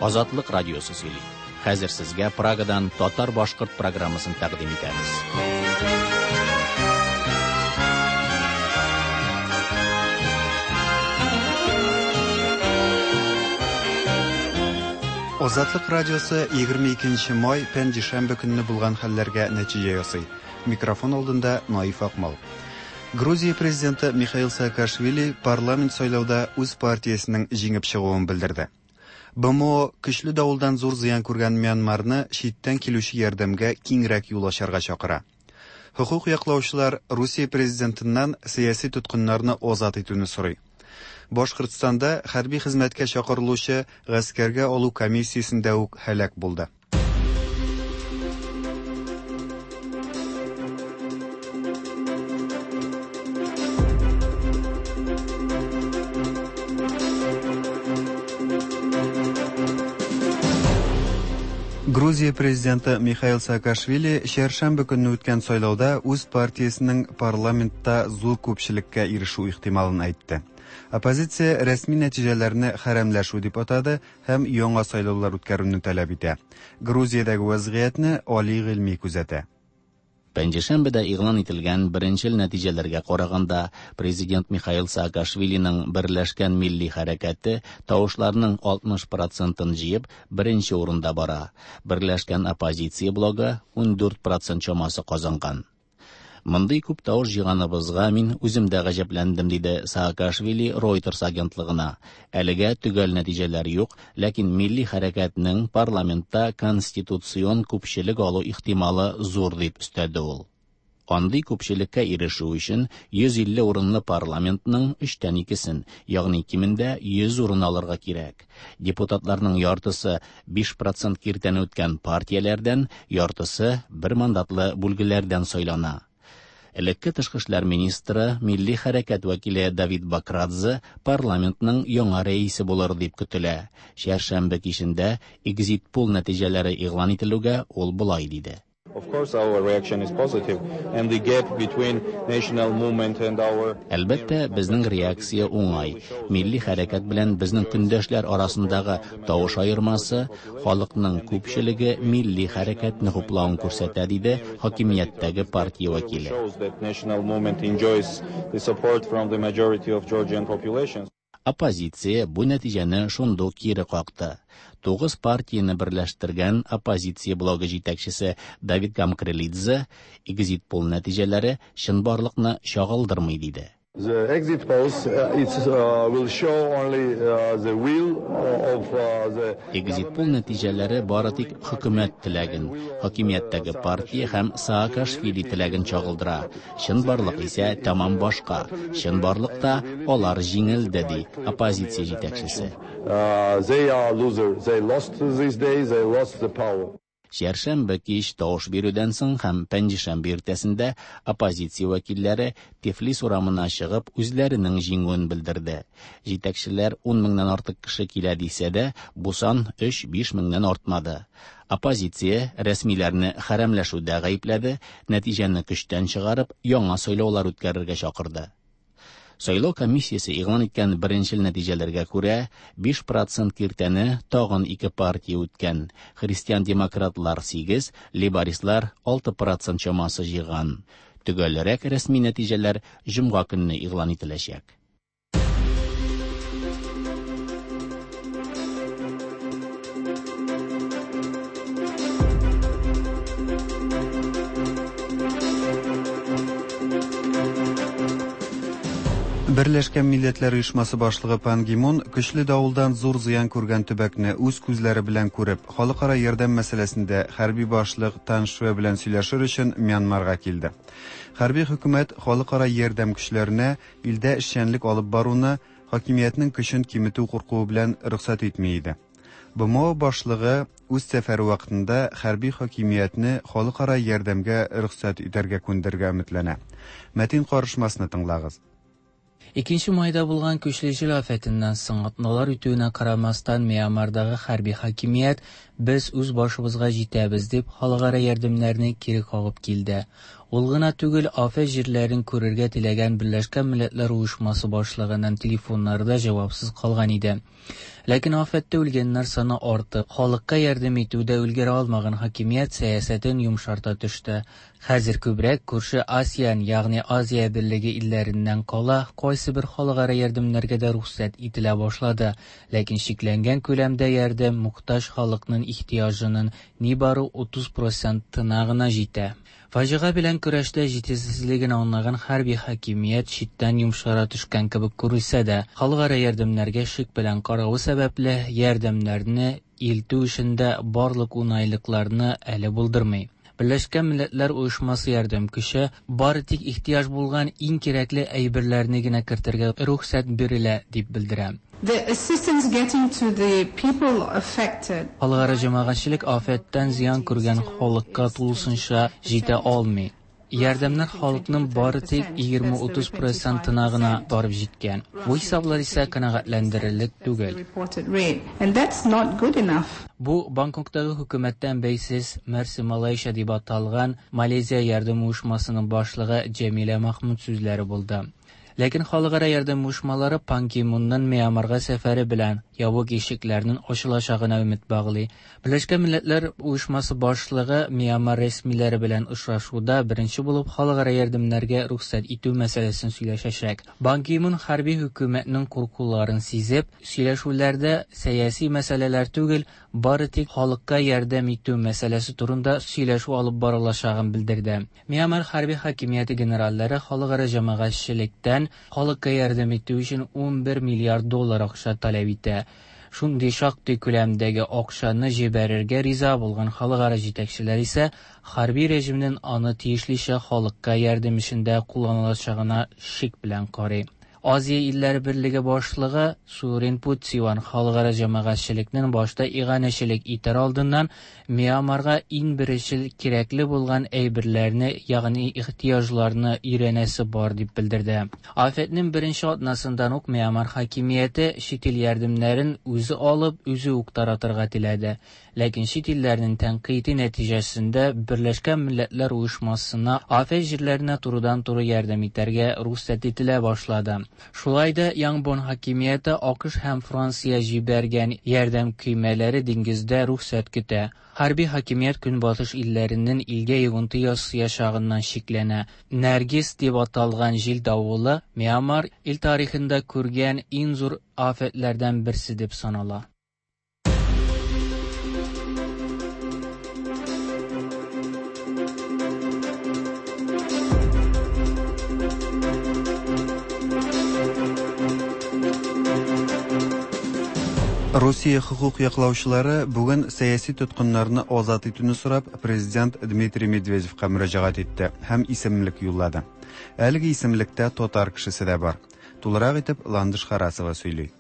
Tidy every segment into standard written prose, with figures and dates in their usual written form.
Азатлык радиосы сөйли. Хәзер сезгә Прагадан татар-башкорт программасын тәкъдим итәбез. Азатлык радиосы 22 май пәнҗешәмбе көнне булган хәлләргә нәтиҗә ясый. Микрофон алдында Наиф Акмал. Грузия президенты Михаил Саакашвили парламент сайлауда үз партиясенең җиңеп чыгуын белдерде. БМО көчле давылдан зур зыян күргән Мьянмарны читтән килүче ярдәмгә киңрәк юл ачарга чакыра. Хокук яклаучылар Русия президентыннан сәяси тоткыннарны азат итүне сорый. Башкортстанда хәрби хезмәткә чакырылучы гаскәргә алу комиссиясендә үк һәлак булды. Грузия президенты Михаил Саакашвили чәршәмбе көнне үткән сайлауда үз партиясенең парламентта зур күпчелеккә ирешү ихтималын әйтте. Оппозиция рәсми нәтиҗәләрне хәрәмләшү дип атады һәм яңа сайлаулар үткәрүне таләп итә. Грузиядәге вәзгыятьне Али Гыйльми күзәтә. Пәнҗешәмбедә игълан ителгән беренчел нәтиҗәләргә караганда, президент Михаил Саакашвилиның Берләшкән милли хәрәкәте тавышларның 60 процентын җыеп, беренче урында бара. Берләшкән оппозиция блогы 14 процент чамасы казанган. Мондый күп тавыш җыйганыбызга мин үзем дә гаҗәпләндем, диде Саакашвили Reuters агентлыгына. Әлегә төгәл нәтиҗәләр юк, ләкин милли хәрәкәтнең парламентта конституцион күпчелек алу ихтималы зур, дип өстәде ул. Андый күпчелеккә ирешү өчен 150 урынлы парламентның өчтән икесен, ягъни кимендә 100 урын алырга кирәк. Депутатларның яртысы 5% киртәне үткән партияләрдән, яртысы бер мандатлы бүлгеләрдән сайлана. Элекке тышкы эшләр министры, милли хәрәкәт вәкиле Давид Бакрадзе парламентның яңа рәисе булыр дип көтелә. Чәршәмбе кичендә экзит-пул нәтиҗәләре игълан ителүгә ул болай диде. Of course, our reaction is positive, and the gap between national movement and our Әлбәттә, безнең реакция уңай. Милли хәрәкәт белән безнең көндәшләр арасындагы тавыш аермасы халыкның күпчелеге милли хәрәкәтне хуплавын күрсәтә, диде хакимияттәге партия вәкиле. shows that national movement enjoys the support from the majority of Georgian population. Оппозиция бу нәтиҗәне шундук кире какты. Тугыз партияне берләштергән оппозиция блогы җитәкчесе Давид Гамкрелидзе экзит-пул нәтиҗәләре чынбарлыкны чагылдырмый диде. The exit polls will show only the will of the Экзит-пул нәтиҗәләре бары тик хөкүмәт теләген, хакимияттәге партия һәм Саакашвили теләген чагылдыра. Чынбарлык исә тәмам башка. Чынбарлыкта алар җиңелде, ди оппозиция җитәкчесе. They are loser. They lost this day. They lost the power. Чәршәмбе кич тавыш бирүдән соң һәм пәнҗешәмбе иртәсендә оппозиция вәкилләре Тифлис урамына чыгып үзләренең җиңүен белдерде. Җитәкчеләр 10 меңнән артык кеше килә дисә дә, бу сан 3-5 меңнән артмады. Оппозиция рәсмиләрне хәрәмләшүдә гаепләде, нәтиҗәне көчтән чыгарып, яңа сайлаулар үткәрергә чакырды. Сайлау комиссиясе игълан иткән беренчел нәтиҗәләргә күрә, 5% киртәне тагын ике партия үткән. Христиан-демократлар 8, лейбористлар 6% чамасы җыйган. Төгәлрәк рәсми нәтиҗәләр җомга көнне игълан ителәчәк. Берләшкән Милләтләр Оешмасы башлыгы Пан Ги Мун көчле давылдан зур зыян күргән төбәкне үз күзләре белән күреп, халыкара ярдәм мәсьәләсендә хәрби башлык Тан Шве белән сөйләшер өчен Мьянмарга килде. Хәрби хөкүмәт халыкара ярдәм көчләренә илдә эшчәнлек алып баруны хакимиятнең көчен киметү куркуы белән рөхсәт итми иде. БМО башлыгы үз сәфәре вакытында хәрби хакимиятне халыкара ярдәмгә рөхсәт итәргә күндерергә өметләнә. Мәтин карышмасны тыңлагыз. 2 майда булган көчле җил афәтеннән соң атналар үтүенә карамастан Мьянмардагы хәрби хакимият без үз башыбызга җитәбез дип халыкара ярдәмнәрне кире кагып килде. Ул гына түгел, афәт җирләрен күрергә теләгән Берләшкән Милләтләр Оешмасы башлыгының телефоннары да җавапсыз калган иде. Ләкин афәттә үлгәннәр саны артып, халыкка ярдәм итүдә өлгерә алмаган хакимият сәясәтен йомшарта төште. Хәзер күбрәк күрше АСЕАН, ягъни Азия берлеге илләреннән кала, кайсыбер халыкара ярдәмнәргә дә рөхсәт ителә башлады. Ләкин чикләнгән күләмдә ярдәм мохтаҗ халыкның ихтыяҗының нибары 30 процентына гына җитә. Фаҗига белән көрәштә җитешсезлеген аңлаган хәрби хакимият читтән йомшара төшкән кебек күрелсә дә, халыкара ярдәмнәргә шик белән каравы сәбәпле, ярдәмнәрне илтү эшендә барлык уңайлыкларны әле булдырмый. Берләшкән Милләтләр Оешмасы ярдәм көче бары тик ихтыяҗ булган иң кирәкле әйберләрне генә кертергә рөхсәт бирелә, дип белдерә. The assistance getting to the people affected. Халыкара җәмәгатьчелек афәттән зыян күргән халыкка тулысынча җитә алмый. Ярдәмнәр халыкның бары тик 20-30 процентына гына барып җиткән. Бу хисаплар исә канәгатьләндерерлек түгел. Reported rate, and that's not good enough. Бу Бангкоктагы хөкүмәттән бәйсез Мерси Малайша дип аталган Малайзия ярдәм оешмасының башлыгы Җәмилә Махмуд сүзләре булды. Ләкин халыкара ярдәм оешмалары Пан Ги Мунның Мьянмарга сәфәре белән ябык ишекләрнең ачылачагына өмет баглый. Берләшкән Милләтләр Оешмасы башлыгы Мьянмар рәсмиләре белән очрашуда беренче булып халыкара ярдәмнәргә рөхсәт итү мәсьәләсен сөйләшәчәк. Пан Ги Мун хәрби хөкүмәтнең куркуларын сизеп, сөйләшүләрдә сәяси мәсьәләләр түгел, бары тик халыкка ярдәм итү мәсьәләсе турында сөйләшү алып барылачагын белдерде. Мьянмар хәрби хакимияте генераллары халыкара җәмәгатьчелектән халыкка ярдәм итү өчен 11 миллиард доллар акча таләп итә. Шундый шактый күләмдәге акчаны җибәрергә риза булган халыкара җитәкчеләр исә хәрби режимнең аны тиешлечә халыкка ярдәм эшендә кулланылачагына шик белән карый. Азия илләре берлеге башлыгы Сурин Путсиван халыкара җәмәгатьчелекнең башта иганәчелек итәр алдыннан Мьянмарга иң беренчел кирәкле булган әйберләрне, ягъни ихтыяҗларны өйрәнәсе бар дип белдерде. Афәтнең беренче атнасыннан ук Мьянмар хакимияте чит ил ярдәмнәрен үзе алып, үзе үк таратырга теләде. Ләкин чит илләрнең тәнкыйте нәтиҗәсендә Берләшкән Милләтләр Оешмасына афәт җирләренә турыдан-туры ярдәм итәргә рөхсәт ителә башлады. Шулай да Янгон хакимияте АКШ һәм Франция җибәргән ярдәм көймәләре диңгездә рөхсәт көтә. Хәрби хакимият Көнбатыш илләренең илгә йогынты ясаячагыннан шикләнә. Нәргиз дип аталган җил давылы Мьянмар ил тарихында күргән иң зур афәтләрдән берсе дип санала. Русия хокук яклаучылары бүген сәяси тоткыннарны азат итүне сорап президент Дмитрий Медведевка мөрәҗәгать итте һәм исемлек юллады. Әлеге исемлектә татар кешесе дә бар. Тулырак итеп Ландыш Харасова сөйли.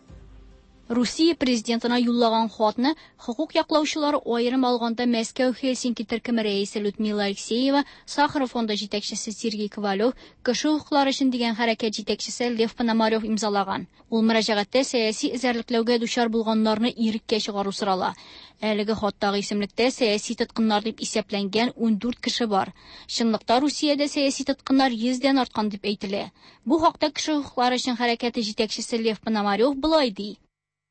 Русия президентына юллаган хатны хокук яклаучылары аерым алганда Мәскәү Хельсинки төркеме рәисе Людмила Алексеева, Сахаров фонды җитәкчесе Сергей Ковалев, Кеше хокуклары өчен дигән хәрәкәт җитәкчесе Лев Пономарев имзалаган. Ул мөрәҗәгатьтә сәяси эзәрлекләүгә дучар булганнарны иреккә чыгару сорала. Әлеге хаттагы исемлектә сәяси тоткыннар дип исәпләнгән 14 кеше бар. Чынлыкта Русиядә сәяси тоткыннар 100дән арткан дип әйтелә. Бу хакта Кеше хокуклары өчен хәрәкәте җитәкчесе Лев Пономарев болай ди.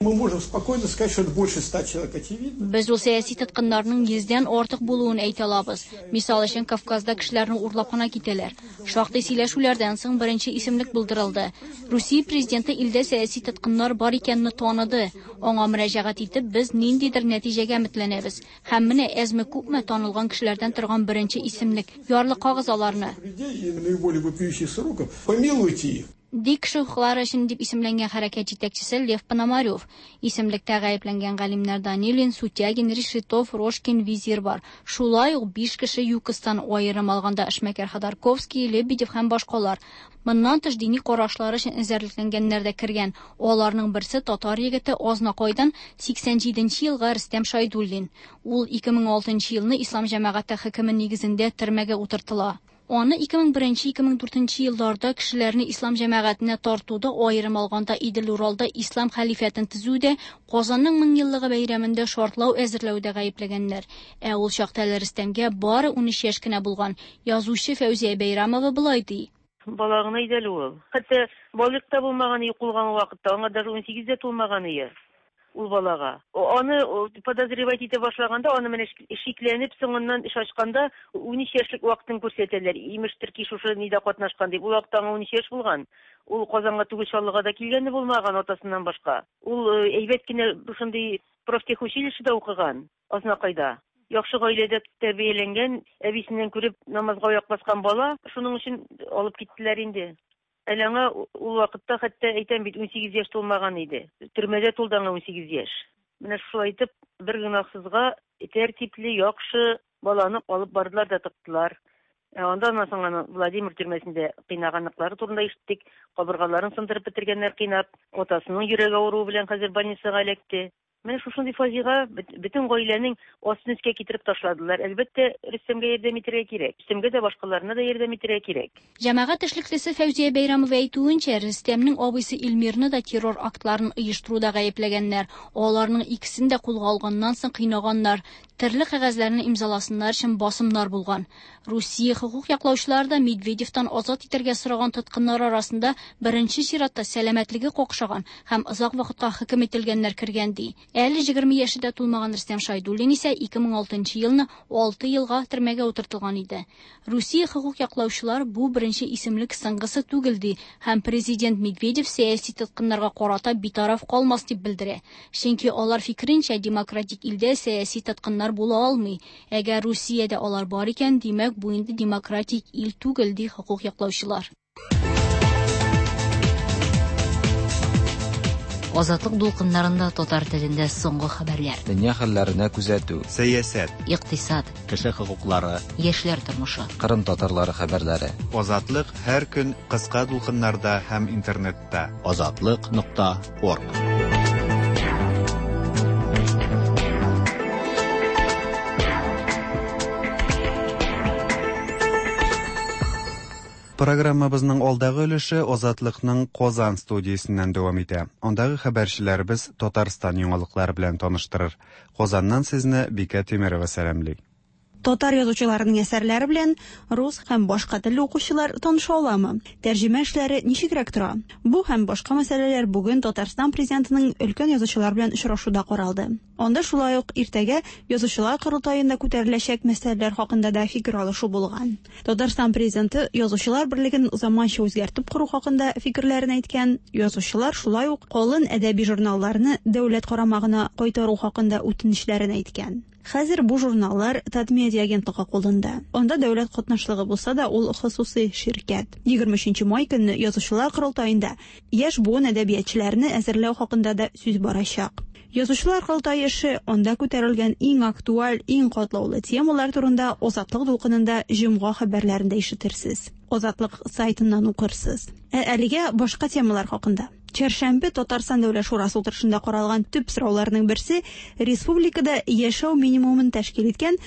Мы можем спокойно сказать, что это больше 100 человек, очевидно. Без ул сәяси тоткыннарның 100дән артык булуын әйтә алабыз. Мисал өчен, Кавказда кешеләрне урлап кына китәләр. Шактый сөйләшүләрдән соң беренче исемлек булдырылды. Русия президенты илдә сәяси тоткыннар бар икәнне таныды. Аңа мөрәҗәгать итеп, без ниндидер нәтиҗәгә өметләнәбез. Һәм менә әзме-күпме танылган кешеләрдән торган беренче исемлек. Ярлыкагыз аларны. Людей, наиболее вопиющих сроков, помилуйте их. Ди кеше хокуклары өчен дип исемләнгән хәрәкәт җитәкчесе Лев Пономарев. Исемлектә гаепләнгән галимнәр Данилин, Сутягин, Решетов, Рожкин, Визир бар. Шулай ук 5 кеше ЮКОСтан аерым алганда эшмәкәр Ходорковский, Лебедев һәм башкалар. Моннан тыш дини карашлары өчен эзәрлекләнгәннәр дә кергән. Аларның берсе татар егете Азнакайдан 87 елгы Рөстәм Шайдуллин. Ул 2006 елны Ислам җәмәгате хөкеме нигезендә төрмәгә утыртыла. Аны 2001-2004 елларда кешеләрне ислам җәмәгатенә тартуда, аерым алганда Идел-Уралда ислам хәлифәтен төзүдә, Казанның меңьеллыгы бәйрәмендә шартлау әзерләүдә гаепләгәннәр. Ә ул чакта әле Рөстәмгә бары 13 яшь кенә булган. Язучы Фәүзия Бәйрамова болай ди. Бала гына иде әле ул. Хәтта балигъ та булмаган ие кулга вакытта, аңа даже 18 дә тулмаган ие ул балага. Аны подозревать итә башлаганда, аны менә шикләнеп, соңыннан эш ачканда 13 яшьлек вакытын күрсәтәләр. Имештер ки, шушы нидә катнашкан дип. Ул вакытта аңа 13 яшь булган. Ул Казанга түгел, Чаллыга да килгәне булмаган атасыннан башка. Ул әйбәт кенә шундый профтехучилищеда укыган, Азнакайда. Яхшы гаиләдә тәрбияләнгән, әбисеннән күреп намазга аяк баскан бала, шуның өчен алып киттеләр инде. Әле аңа ул вакытта хәтта әйтәм бит 18 яшь тулмаган иде. Төрмәдә тулды аңа 18 яшь. Менә шулай итеп бер гөнаһсызга тәртипле, яхшы баланы алып бардылар да тыктылар. Ә анда аннан соң аны Владимир төрмәсендә кыйнаганлыклары турында ишеттек. Кабыргаларын сындырып бетергәннәр кыйнап. Атасының йөрәк авыруы белән хәзер больницага эләкте. Менә шушындый фаҗига бөтен гаиләнең астын өскә китереп ташладылар. Әлбәттә, Рөстәмгә ярдәм итәргә кирәк. Рөстәмгә дә, башкаларына да ярдәм итәргә кирәк. Җәмәгать эшлеклесе Фәүзия Бәйрәмова әйтүенчә, Рөстәмнең абыйсы Илмирны да террор актларын оештыруда гаепләгәннәр. Аларның икесен дә кулга алганнан соң кыйнаганнар, төрле кәгазьләрне имзаласыннар өчен басымнар булган. Русия хокук яклаучылары да Медведевтан азат итәргә сораган тоткыннар арасында беренче чиратта сәламәтлеге какшаган һәм озак вакытка хөкем ителгәннәр кергән ди. Әле 20 яше дә тулмаган Рөстәм Шайдуллин исә 2006 елны 6 елга төрмәгә утыртылган иде. Русия хокук яклаучылар бу беренче исемлек соңгысы түгел ди һәм президент Медведев сәяси тоткыннарга карата битараф калмас дип белдерә. Чөнки алар фикеренчә, демократик илдә сәяси тоткыннар була алмый. Әгәр Русиядә алар бар икән, димәк, бу инде демократик ил түгел, ди хокук яклаучылар. Азатлык дулкыннарында татар телендә соңгы хәбәрләр. Дөнья хәлләренә күзәтү. Сәясәт. Икътисад. Кеше хокуклары. Яшьләр тормышы. Кырым татарлары хәбәрләре. Азатлык һәр көн кыска дулкыннарда һәм интернетта. Азатлык.орг. Программабызның алдагы өлеше Азатлыкның Казан студиясеннән дәвам итә. Андагы хәбәрчеләребез Татарстан яңалыклары белән таныштырыр. Казаннан сезне Бикә Тимерова сәламли. Татар язучыларының әсәрләре белән рус һәм башка телле укучылар таныша аламы? Тәрҗемә эшләре ничегрәк тора? Бу һәм башка мәсьәләләр бүген Татарстан президентының өлкән язучылар белән очрашуда каралды. Анда шулай ук иртәгә язучылар корылтаенда күтәреләчәк мәсьәләләр хакында да фикер алышу булган. Татарстан президенты язучылар берлеген заманча үзгәртеп кору хакында фикерләрен әйткән. Язучылар шулай ук калын әдәби журналларны дәүләт карамагына кайтару хакында үтенечләрен әйткән. Хәзер бу журналлар Татмедиа агентлыгы кулында. Анда дәүләт катнашлыгы булса да, ул хосусый ширкәт. 23 май көнне язучылар корылтаенда яшь буын әдәбиятчыларны әзерләү хакында да сүз барачак. Язучылар корылтае эше, анда күтәрелгән иң актуаль, иң катлаулы темалар турында Азатлык дулкынында җомга хәбәрләрендә ишетерсез. Азатлык сайтыннан укырсыз. Ә әлегә башка темалар хакында. Чәршәмбе Татарстан Дәүләт Шурасы утырышында каралган төп сорауларның берсе республикада яшәү минимумын тәшкил иткән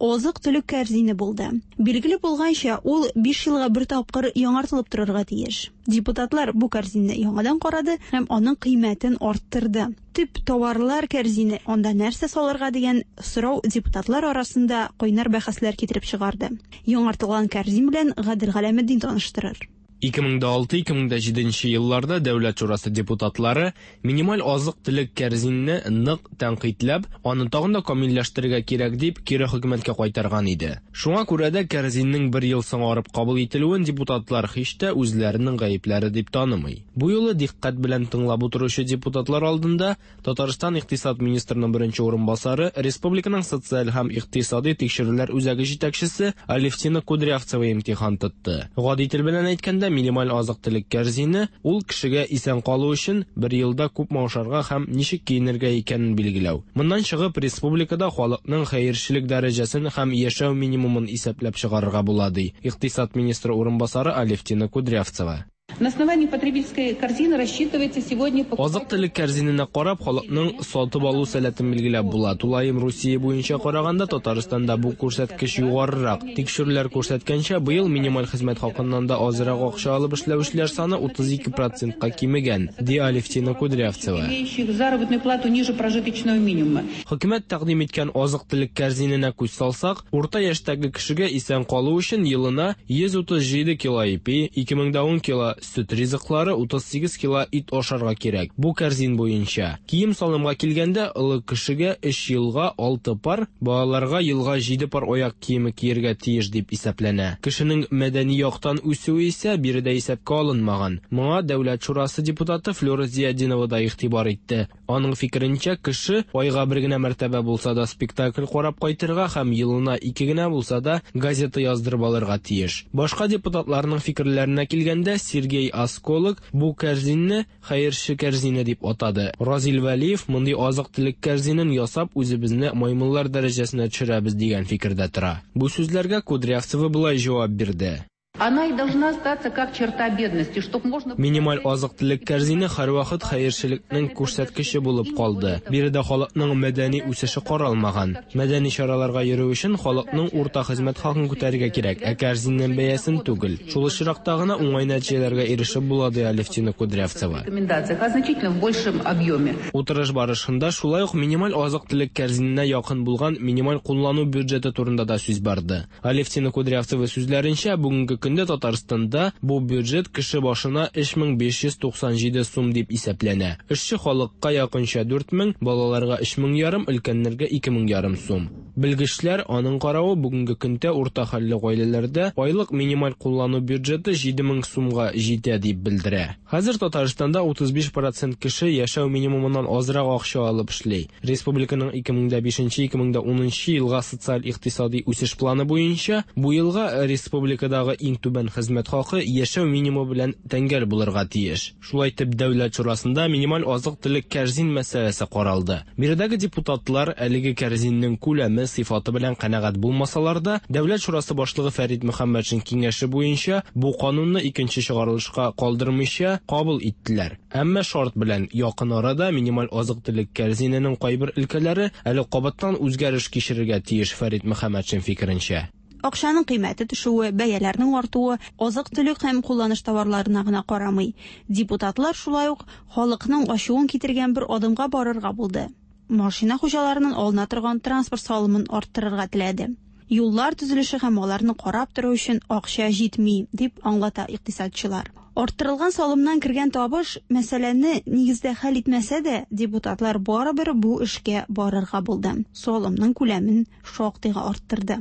азык-төлек кәрзине булды. Билгеле булганча, ул 5 елга бер тапкыр яңартылып торырга тиеш. Депутатлар бу кәрзинне яңадан карады һәм аның кыйммәтен арттырды. Төп товарлар кәрзине, анда нәрсә салырга дигән сорау депутатлар арасында кайнар бәхәсләр китереп чыгарды. Яңартылган кәрзин белән Гадел Галәметдин таныштырыр. 2006-2007 елларда Дәүләт Шурасы депутатлары минималь азык-төлек кәрзинне нык тәнкыйтьләп, аны тагын да камилләштерергә кирәк дип кире хөкүмәткә кайтарган иде. Шуңа күрә дә кәрзиннең бер ел соңарып кабул ителүен депутатлар һич тә үзләренең гаепләре дип танымый. Бу юлы дикъкать белән тыңлап утыручы депутатлар алдында Татарстан икътисад министрының беренче урынбасары, республиканың социаль һәм икътисади тикшерүләр үзәге җитәкчесе Алевтина Кудрявцева имтихан тотты. Гади тел белән әйткәндә, минималь азык-төлек кәрзине ул кешегә исән калу өчен бер елда күпме ашарга һәм ничек киенергә икәнен билгеләү. Моннан чыгып, республикада халыкның хәерчелек дәрәҗәсен һәм яшәү минимумын исәпләп чыгарырга була, ди икътисад министры урынбасары Алевтина Кудрявцева. На основании потребительской корзины рассчитывается сегодня... Азык-төлек кәрзиненә карап, халыкның сатып алу сәләтен билгеләп була. Тулаем Русия буенча караганда, Татарстанда бу күрсәткеч югарырак. Тикшерүләр күрсәткәнчә, быел минималь хезмәт хакыннан да азрак акча алып эшләүчеләр саны 32 процентка кимегән, ди Алевтина Кудрявцева. Имеющих заработную плату ниже прожиточного минимума. Хөкүмәт тәкъдим иткән азык-төлек кәрзиненә күз салсак, урта яшьтәге кешегә исән калу өчен елына 137 кило ипи, 2010 кило сөт ризыклары, 38 кило ит ашарга кирәк. Бу кәрзин буенча. Кием-салымга килгәндә, олы кешегә 3 елга 6 пар, балаларга елга 7 пар аяк киеме киергә тиеш дип исәпләнә. Кешенең мәдәни яктан үсүе исә биредә исәпкә алынмаган. Моңа Дәүләт шурасы депутаты Флюра Зиятдинова да игътибар итте. Аның фикеренчә, кеше айга бер генә мәртәбә булса да спектакль карап кайтырга һәм елына 2 генә булса да газета яздырып алырга тиеш. Башка депутатларның фикерләренә килгәндә, Сергей Осколок бу кәрзинне хәерче кәрзине дип атады. Разил Вәлиев мондый азык-төлек кәрзинен ясап үзебезне маймыллар дәрәҗәсенә төшерәбез дигән фикердә тора. Бу сүзләргә Кудрявцева болай җавап бирде. Она и должна остаться как черта бедности, чтоб можно... Минималь азык-төлек кәрзине һәрвакыт хәерчелекнең күрсәткече булып калды. Биредә халыкның мәдәни үсеше каралмаган. Мәдәни чараларга йөрү өчен халыкның урта хезмәт хакын күтәрергә кирәк, ә кәрзиннең бәясен түгел. Шул очракта гына уңай нәтиҗәләргә ирешеп була, ди Алевтина Кудрявцева. Рекомендациях, а значительно в большем объеме. Утырыш барышында шулай ук минималь азык-төлек кәрзиненә якын булган минималь куллану бюджеты турында да сүз барды. Алевтина Кудрявцева сүзләренчә, бүгенге көндә Татарстанда бу бюджет кеше башына 3597 сум дип исәпләнә. Эшче халыкка якынча 4000, балаларга 3500, өлкәннәргә 2500 сум. Белгечләр аның каравы бүгенге көндә урта хәлле гаиләләрдә айлык минималь куллану бюджеты 7000 сумга җитә дип белдерә. Хәзер Татарстанда 35% кеше яшәү минимумыннан азрак акча алып эшли. Республиканың 2005-2010 елга социаль-икътисади үсеш планы буенча бу елга республикадагы иң түбән хезмәт хакы яшәү минимумы белән тәңгәл булырга тиеш. Шулай итеп, Дәүләт шурасында минималь азык-төлек кәрзин мәсьәләсе каралды. Биредәге депутатлар әлеге кәрзиннең күләме, сыйфаты белән канәгать булмасалар да, Дәүләт шурасы башлыгы Фәрит Мөхәммәтшин киңәше буенча бу канунны икенче чыгарылышка калдырмыйча кабул иттеләр. Әмма шарт белән якын арада минималь азык-төлек кәрзиненең кайбер өлкәләре әле кабаттан үзгәреш кичерергә тиеш, Фәрит Мөхәммәтшин фикеренчә. Акчаның кыйммәте төшүе, бәяләрнең артуы азык-төлек һәм кулланыш товарларына гына карамый. Депутатлар шулай ук халыкның ачуын китергән бер адымга барырга булды. Машина хуҗаларыннан алына торган транспорт салымын арттырырга теләде. Юллар төзелеше һәм аларны карап тору өчен акча җитми, дип аңлата икътисадчылар. Арттырылган салымнан кергән табыш мәсьәләне нигездә хәл итмәсә дә, депутатлар барыбер бу эшкә барырга булды. Салымның күләмен шактыйга арттырды.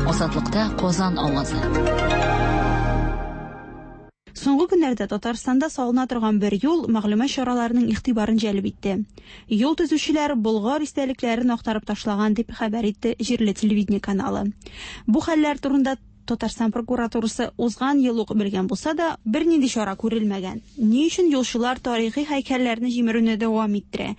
Азатлыкта Казан авазы. Соңгы көннәрдә Татарстанда салына торган бер юл мәгълүмат чараларының игътибарын җәлеп итте. Юл төзүчеләр Болгар истәлекләрен актарып ташлаган дип хәбәр итте җирле телевидение каналы. Бу хәлләр турында Татарстан прокуратурасы узган ел ук белгән булса да, бернинди чара күрелмәгән. Ни өчен юлчылар тарихи һәйкәлләрне җимерүне дәвам иттерә?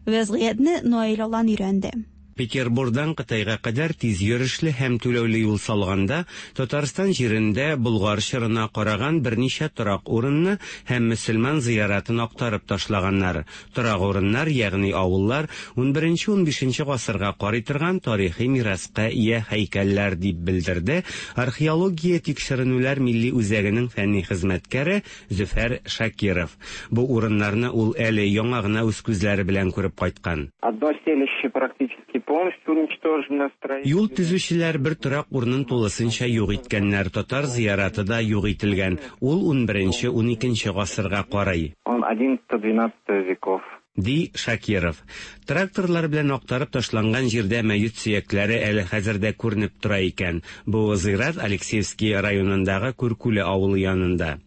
Вәзгыятьне Наил Алан өйрәнде. Петербургдан Кытайга кадәр тиз йөрешле һәм түләүле юл салганда, Татарстан җирендә Болгар чорына караган берничә торак урынны һәм мөселман зыяратын актарып ташлаганнар. Торак урыннар, ягъни авыллар, 11-15 гасырга карый торган тарихи мираска ия һәйкәлләр, дип белдерде Археология тикшеренүләр милли үзәгенең фәнни хезмәткәре Зөфәр Шакиров. Бу урыннарны ул әле яңа гына үз күзләре белән күреп кайткан. Одно селище практически полностью уничтожено. Юл төзүчеләр бер торак урынын тулысынча юк иткәннәр. Татар зыяраты да юк ителгән. Ул 11-12 гасырга карый. Он 11-12 веков. Ди Шакиров. Тракторлар белән актарып ташланган җирдә мәет сөякләре әле хәзер дә күренеп тора икән. Бу зират Алексеевский районындагы Күркүле авылы янында.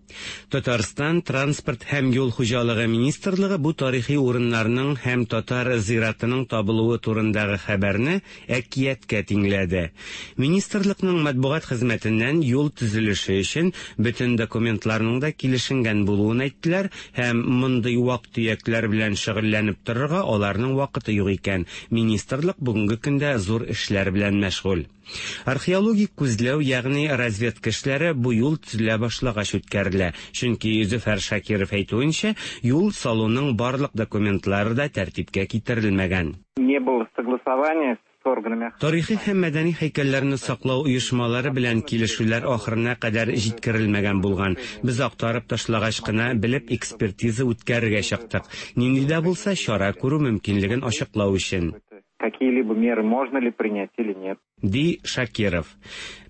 Татарстан транспорт һәм юл хуҗалыгы министрлыгы бу тарихи урыннарның һәм татар зиратының табылуы турындагы хәбәрне әкияткә тиңләде. Министрлыкның матбугат хезмәтеннән юл төзелеше өчен бөтен документларның да килешенгән булуын әйттеләр һәм мондый вак-төякләр белән шөгыльләнеп торырга аларның вакыты юк икән. Министрлык бүгенге көндә зур эшләр белән мәшгуль. Археологик күзләү, ягъни разведка эшләре бу юл төзелә башлагач үткәрелә, чөнки Зөфәр Шакиров әйтүенчә, юл салуның барлык документлары да тәртипкә китерелмәгән. Не было согласования с органами. Тарихи һәм мәдәни һәйкәлләрне саклау оешмалары белән килешүләр ахырына кадәр җиткерелмәгән булган. Без актарып ташлагач кына белеп экспертиза үткәрергә чыктык. Нинди дә булса чара күрү мөмкинлеген ачыклау өчен. Какие-либо меры можно ли принять или нет. Ди Шакиров.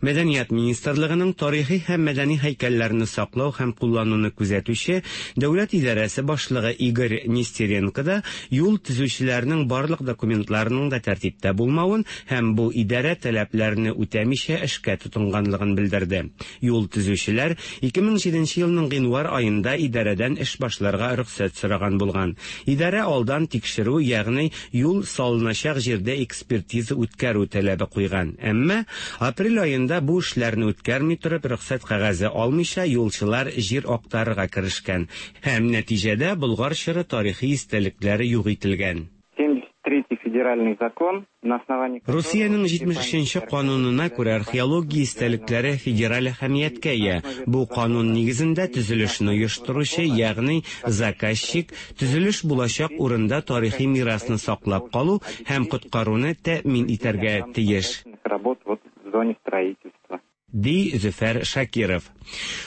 Мәдәният министрлыгының тарихи һәм мәдәни һәйкәлләрне саклау һәм куллануны күзәтүче дәүләт идарәсе башлыгы Игорь Нестеренко да юл төзүчеләрнең барлык документларының да тәртиптә булмавын һәм бу идарә таләпләрне үтәмичә эшкә тотынганлыгын белдерде. Юл төзүчеләр 2007 елның гыйнвар аенда идарәдән эш башларга рөхсәт сораган булган. Идарә алдан тикшерү, ягъни юл салыначак җирдә экспертиза үткәрү таләбе куйган. Әмма апрель аенда бу эшләрне үткәрми торып, рөхсәт кәгазе алмыйча юлчылар җир актарырга керешкән һәм нәтиҗәдә Болгар чоры тарихи истәлекләре юк ителгән. 73-й федеральный закон, на основании Русиянең 73 нче канунына күрә археология истәлекләре федераль әһәмияткә ия. Бу канун нигезендә төзелешне оештыручы, ягъни заказчик, төзелеш булачак урында тарихи мирасны саклап калу һәм коткаруны тәэмин итәргә тиеш. работ вот в зоне строительства. Ди Зөфәр Шакиров.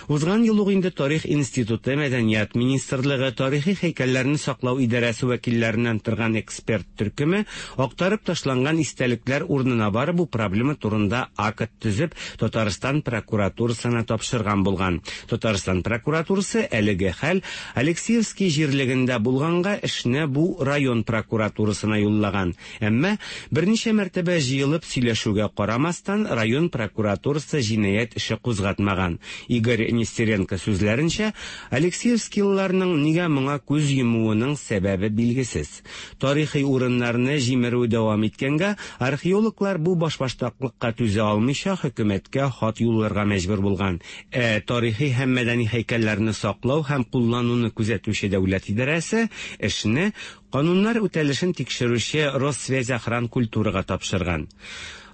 Узган ел ук инде Тарих институты, Мәдәният министрлыгы, Тарихи һәйкәлләрне саклау идарәсе вәкилләреннән торган эксперт төркеме актарып ташланган истәлекләр урынына барып бу проблема турында акт төзеп Татарстан прокуратурасына тапшырган булган. Татарстан прокуратурасы әлеге хәл Алексеевский җирлегендә булганга эшне бу район прокуратурасына юллаган. Әмма берничә мәртәбә җыелып сөйләшүгә карамастан район прокуратурасы җинаять эше кузгатмаган. Игорь Нестеренко сүзләренчә, Алексеевскийларның нигә моңа күз йомуының сәбәбе билгесез. Тарихи урыннарны җимерү дәвам иткәнгә, археологлар бу башбаштаклыкка түзә алмыйча хөкүмәткә хат юлларга мәҗбүр булган. Ә тарихи һәм мәдәни һәйкәлләрне саклау һәм куллануны күзәтүче дәүләт идарәсе эшне кануннар үтәлешен тикшерүче Россвязьохранкультурага тапшырган.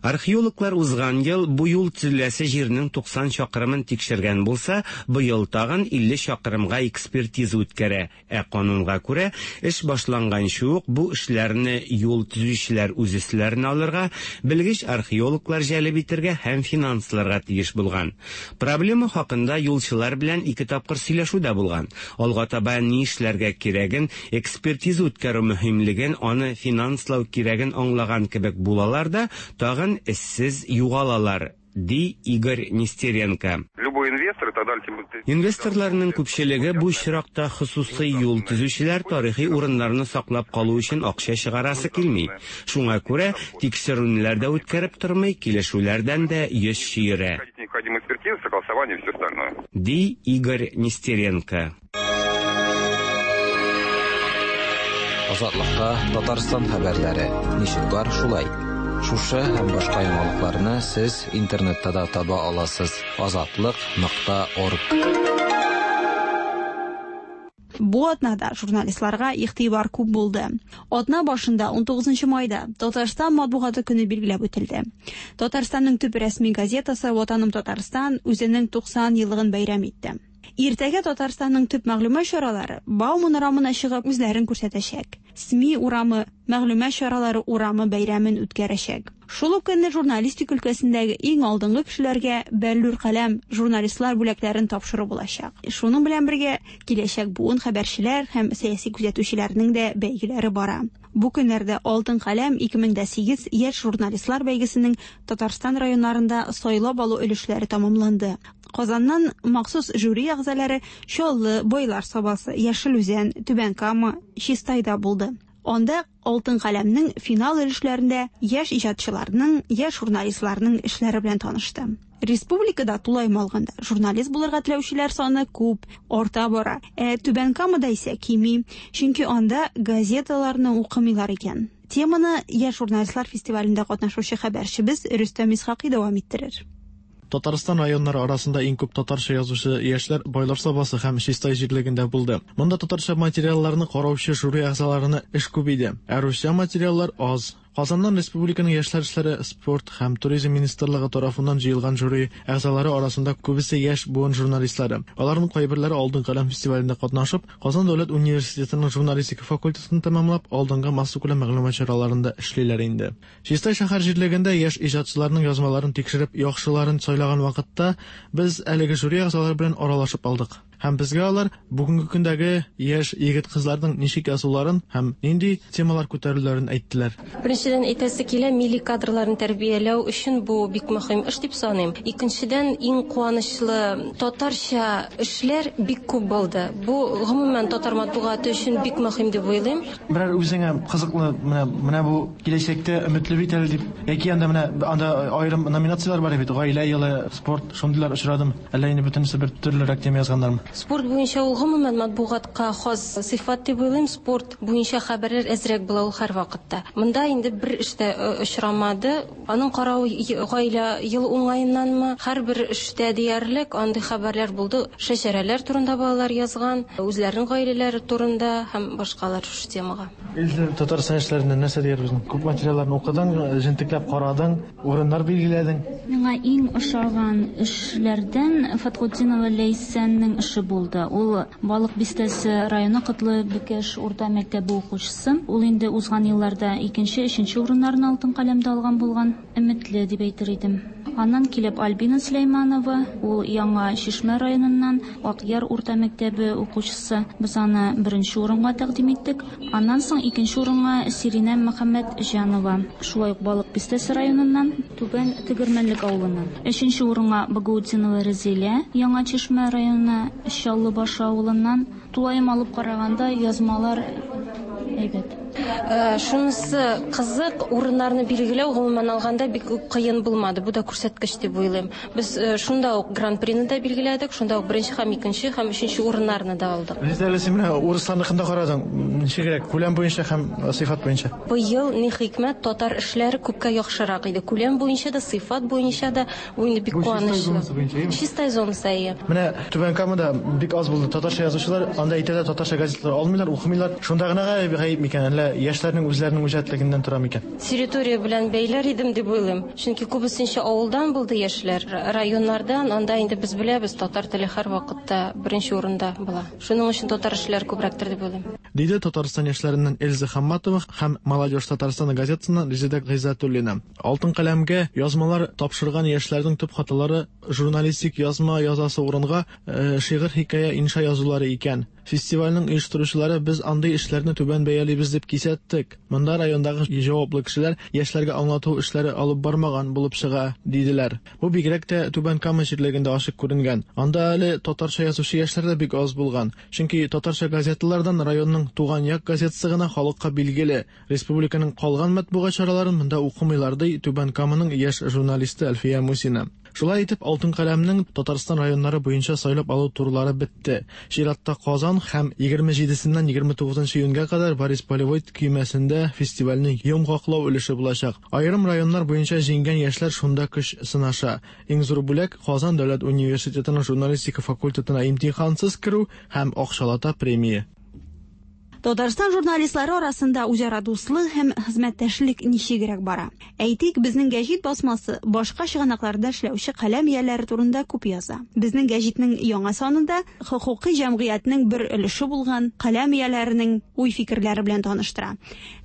Археологлар узган ел бу юл төзеләсе җирнең 90 чакрымын тикшергән булса, быел тагын 50 чакрымга экспертиза үткәрә. Ә канунга күрә, эш башланганчы ук бу эшләрне юл төзүчеләр үз өсләренә алырга, белгеч археологлар җәлеп итәргә һәм финансларга тиеш булган. Проблема хакында юлчылар белән ике тапкыр сөйләшү дә булган. Алга таба ни эшләргә кирәген, экспертиза үткәрү мөһимлеген, аны финанслау кирәген аңлаган кебек булалар да, тагын эшсез югалалар, ди Игорь Нестеренко. Любой инвестор и так далее. тем более- Инвесторларның күпчелеге бу очракта хосусый юл төзүчеләр тарихи урыннарны саклап калу өчен акча чыгарасы килми. Шуңа күрә тикшерүләр дә үткәреп тормый, килешүләрдән дә йөз чөерә, Необходимая экспертиза, согласование и все остальное. ди Игорь Нестеренко. Азатлыкка Татарстан хәбәрләре. Ничек бар шулай. Шушы һәм башка яңалыкларны сез интернетта да таба аласыз. Азатлык.орг. Бу атнада журналистларга игътибар күп булды. Атна башында 19 майда Татарстан матбугаты көне билгеләп үтелде. Татарстанның төп рәсми газетасы Ватаным Татарстан үзенең 90 еллыгын бәйрәм итте. Иртәгә Татарстанның төп мәгълүмат чаралары Бауман урамына чыгып үзләрен күрсәтәчәк. СМИ урамы, мәгълүмат чаралары урамы бәйрәмен үткәрәчәк. Шул ук көнне журналистика өлкәсендәге иң алдынгы кешеләргә Бәллүр каләм журналистлар бүләкләрен тапшыру булачак. Шуның белән бергә киләчәк буын хәбәрчеләр һәм сәяси күзәтүчеләрнең дә бәйгеләре бара. Бу көннәрдә Алтын каләм 2008 яшь журналистлар бәйгесенең Татарстан районнарында сайлап алу өлешләре тәмамланды. Казаннан махсус жюри әгъзалары Чаллы, Байлар Сабасы, Яшел Үзән, Түбән Кама, Чистайда булды. Анда Алтын каләмнең финал өлешләрендә яшь иҗатчыларның, яшь журналистларның эшләре белән танышты. Республикада тулаем алганда журналист булырга теләүчеләр саны күп, арта бара. Ә Түбән Камада исә кими, чөнки анда газеталарны укымыйлар икән. Теманы яшь журналистлар фестивалендә катнашучы хәбәрчебез Рөстәм Исхакый дәвам иттерер. Татарстан районнары арасында иң күп татарча язучы яшьләр Байлар Сабасы һәм Чистай җирлегендә булды. Монда татарча материалларны караучы жюри әгъзаларына эш күп иде, ә русча материаллар аз. Казаннан республиканың яшьләр эшләре, спорт һәм туризм министрлыгы тарафыннан җыелган жюри әгъзалары арасында күбесе яшь буын журналистлары. Аларның кайберләре Алтын каләм фестивалендә катнашып, Казан дәүләт университетының журналистика факультетын тәмамлап, алдынгы массакүләм мәгълүмат чараларында эшлиләр инде. Чистай шәһәр җирлегендә яшь иҗатчыларның язмаларын тикшереп, яхшыларын сайлаган вакытта без әлеге жюри әгъзалары белән аралашып алдык. Һәм безгә алар бүгенге көндәге яшь егет-кызларның ничек язуларын һәм нинди темалар күтәрүләрен әйттеләр. Беренчедән, әйтәсе килә, милли кадрларны тәрбияләү өчен бу бик мөһим эш дип саныйм. Икенчедән, иң куанычлы, татарча эшләр бик күп булды. Бу, гомумән, татар матбугаты өчен бик мөһим дип уйлыйм. Берәр үзеңә кызыклы, менә, менә бу киләчәктә өметле бит әле дип, яки анда менә анда аерым номинацияләр бар бит, гаилә елы, спорт, шундыйлар очрадымы? Әллә инде бөтенесе бер төрлерәк тема язганнармы? Спорт буенча ул гомумән матбугатка хас сыйфат дип уйлыйм. Спорт буенча хәбәрләр әзрәк була ул һәрвакытта. Монда инде бер эш тә очрамады. Аның каравы гаилә елы уңаеннанмы, һәрбер эштә диярлек андый хәбәрләр булды. Шәҗәрәләр турында балалар язган, үзләренең гаиләләре турында һәм башкалар шушы темага. Илсөя, Татарстан яшьләреннән нәрсә диярбез? Күп материалларны укыдың, җентекләп карадың. Урыннар билгеләдең. Миңа иң ошаган эшләрдән Фатхутдинова Ләйсәннең эше булды. Ул Балык Бистәсе районы Котлы Бөкәш урта мәктәбе укучысы. Ул инде узган елларда икенче, өченче урыннарны Алтын каләмдә алган булган. Өметле дип әйтер идем. Аннан килеп Альбина Сөләйманова, ул Яңа Чишмә районыннан, Акъяр урта мәктәбе укучысы. Без аны беренче урынга тәкъдим иттек. Аннан соң икенче урынга Сиринә Мөхәммәтҗанова, шулай ук Балык Бистәсе районыннан, Түбән Тегермәнлек авылыннан. Өченче урынга Багаутдинова Рәзилә, Яңа Чишмә районы, Чаллы Башы авылыннан. Тулаем алып караганда, язмалар әйбәт. Шунысы кызык, урыннарны билгеләү, гомумән алганда, бик үк кыен булмады. Бу да күрсәткеч дип уйлыйм. Без шунда ук гран-прины да билгеләдек, шунда ук беренче һәм икенче һәм өченче урыннарны да алдык. Резеда, әле син менә урысларныкын да карадың. Ничегрәк, күләм буенча һәм сыйфат буенча? Быел, ни хикмәт, татар эшләре күпкә яхшырак иде. Күләм буенча да, сыйфат буенча да. Бу инде бик Бу Чистай куанычлы. зонасы буенча, әйеме? Чистай зонасы, әйе. Менә Түбән Камада бик аз булды татарча язучылар, анда әйтәләр, татарча газеталар алмыйлар, укымыйлар. Шунда гына гаеп, гаеп микән, әллә яшьләрнең үзләренең үҗәтлегеннән тора микән? Территория белән бәйләр идем дип уйлыйм. Чөнки күбесенчә авылдан булды яшьләр, районнардан, анда инде без беләбез, татар теле һәрвакытта беренче урында була. Шуның өчен татар эшләре күбрәктер дип уйлыйм. Диде Татарстан яшьләреннән Эльза Хамматова һәм Молодежь Татарстана газетасыннан Резеда Гыйззәтуллина. Алтын каләмгә язмалар тапшырган яшьләрнең төп хаталары журналистик язма язасы урынга шигырь, хикәя, инша язулары икән. Фестивальнең оештыручылары без андый эшләрне түбән бәялибез дип кисәттек. Монда райондагы җаваплы кешеләр яшьләргә аңлату эшләре алып бармаган булып чыга, диделәр. Бу бигрәк тә Түбән Кама җирлегендә ачык күренгән. Анда әле татарча язучы яшьләр дә бик аз булган. Чөнки татарча газеталардан районның Туган як газетасы гына халыкка билгеле. Республиканың калган матбугат чараларын монда укымыйлар, ди Түбән Каманың яшь журналисты Әлфия Мусина. Шулай итеп, Алтын каләмнең Татарстан районнары буенча сайлап алу турлары бетте. Чиратта Казан һәм 27-сеннән 29 июньгә кадәр Борис Полевой көймәсендә фестивальнең йомгаклау өлеше булачак. Аерым районнар буенча җиңгән яшьләр шунда көч сынаша. Иң зур бүләк, Казан дәүләт университетының журналистика факультетына имтихансыз керү һәм акчалата премия. Татарстан журналистлары арасында үзара дуслык һәм хезмәттәшлек ничегрәк бара? Әйтик, безнең гәҗит басмасы башка чыганакларда эшләүче каләм ияләре турында күп яза. Безнең гәҗитнең яңа санында хокукый җәмгыятьнең бер өлеше булган каләм ияләренең уй-фикерләре белән таныштыра.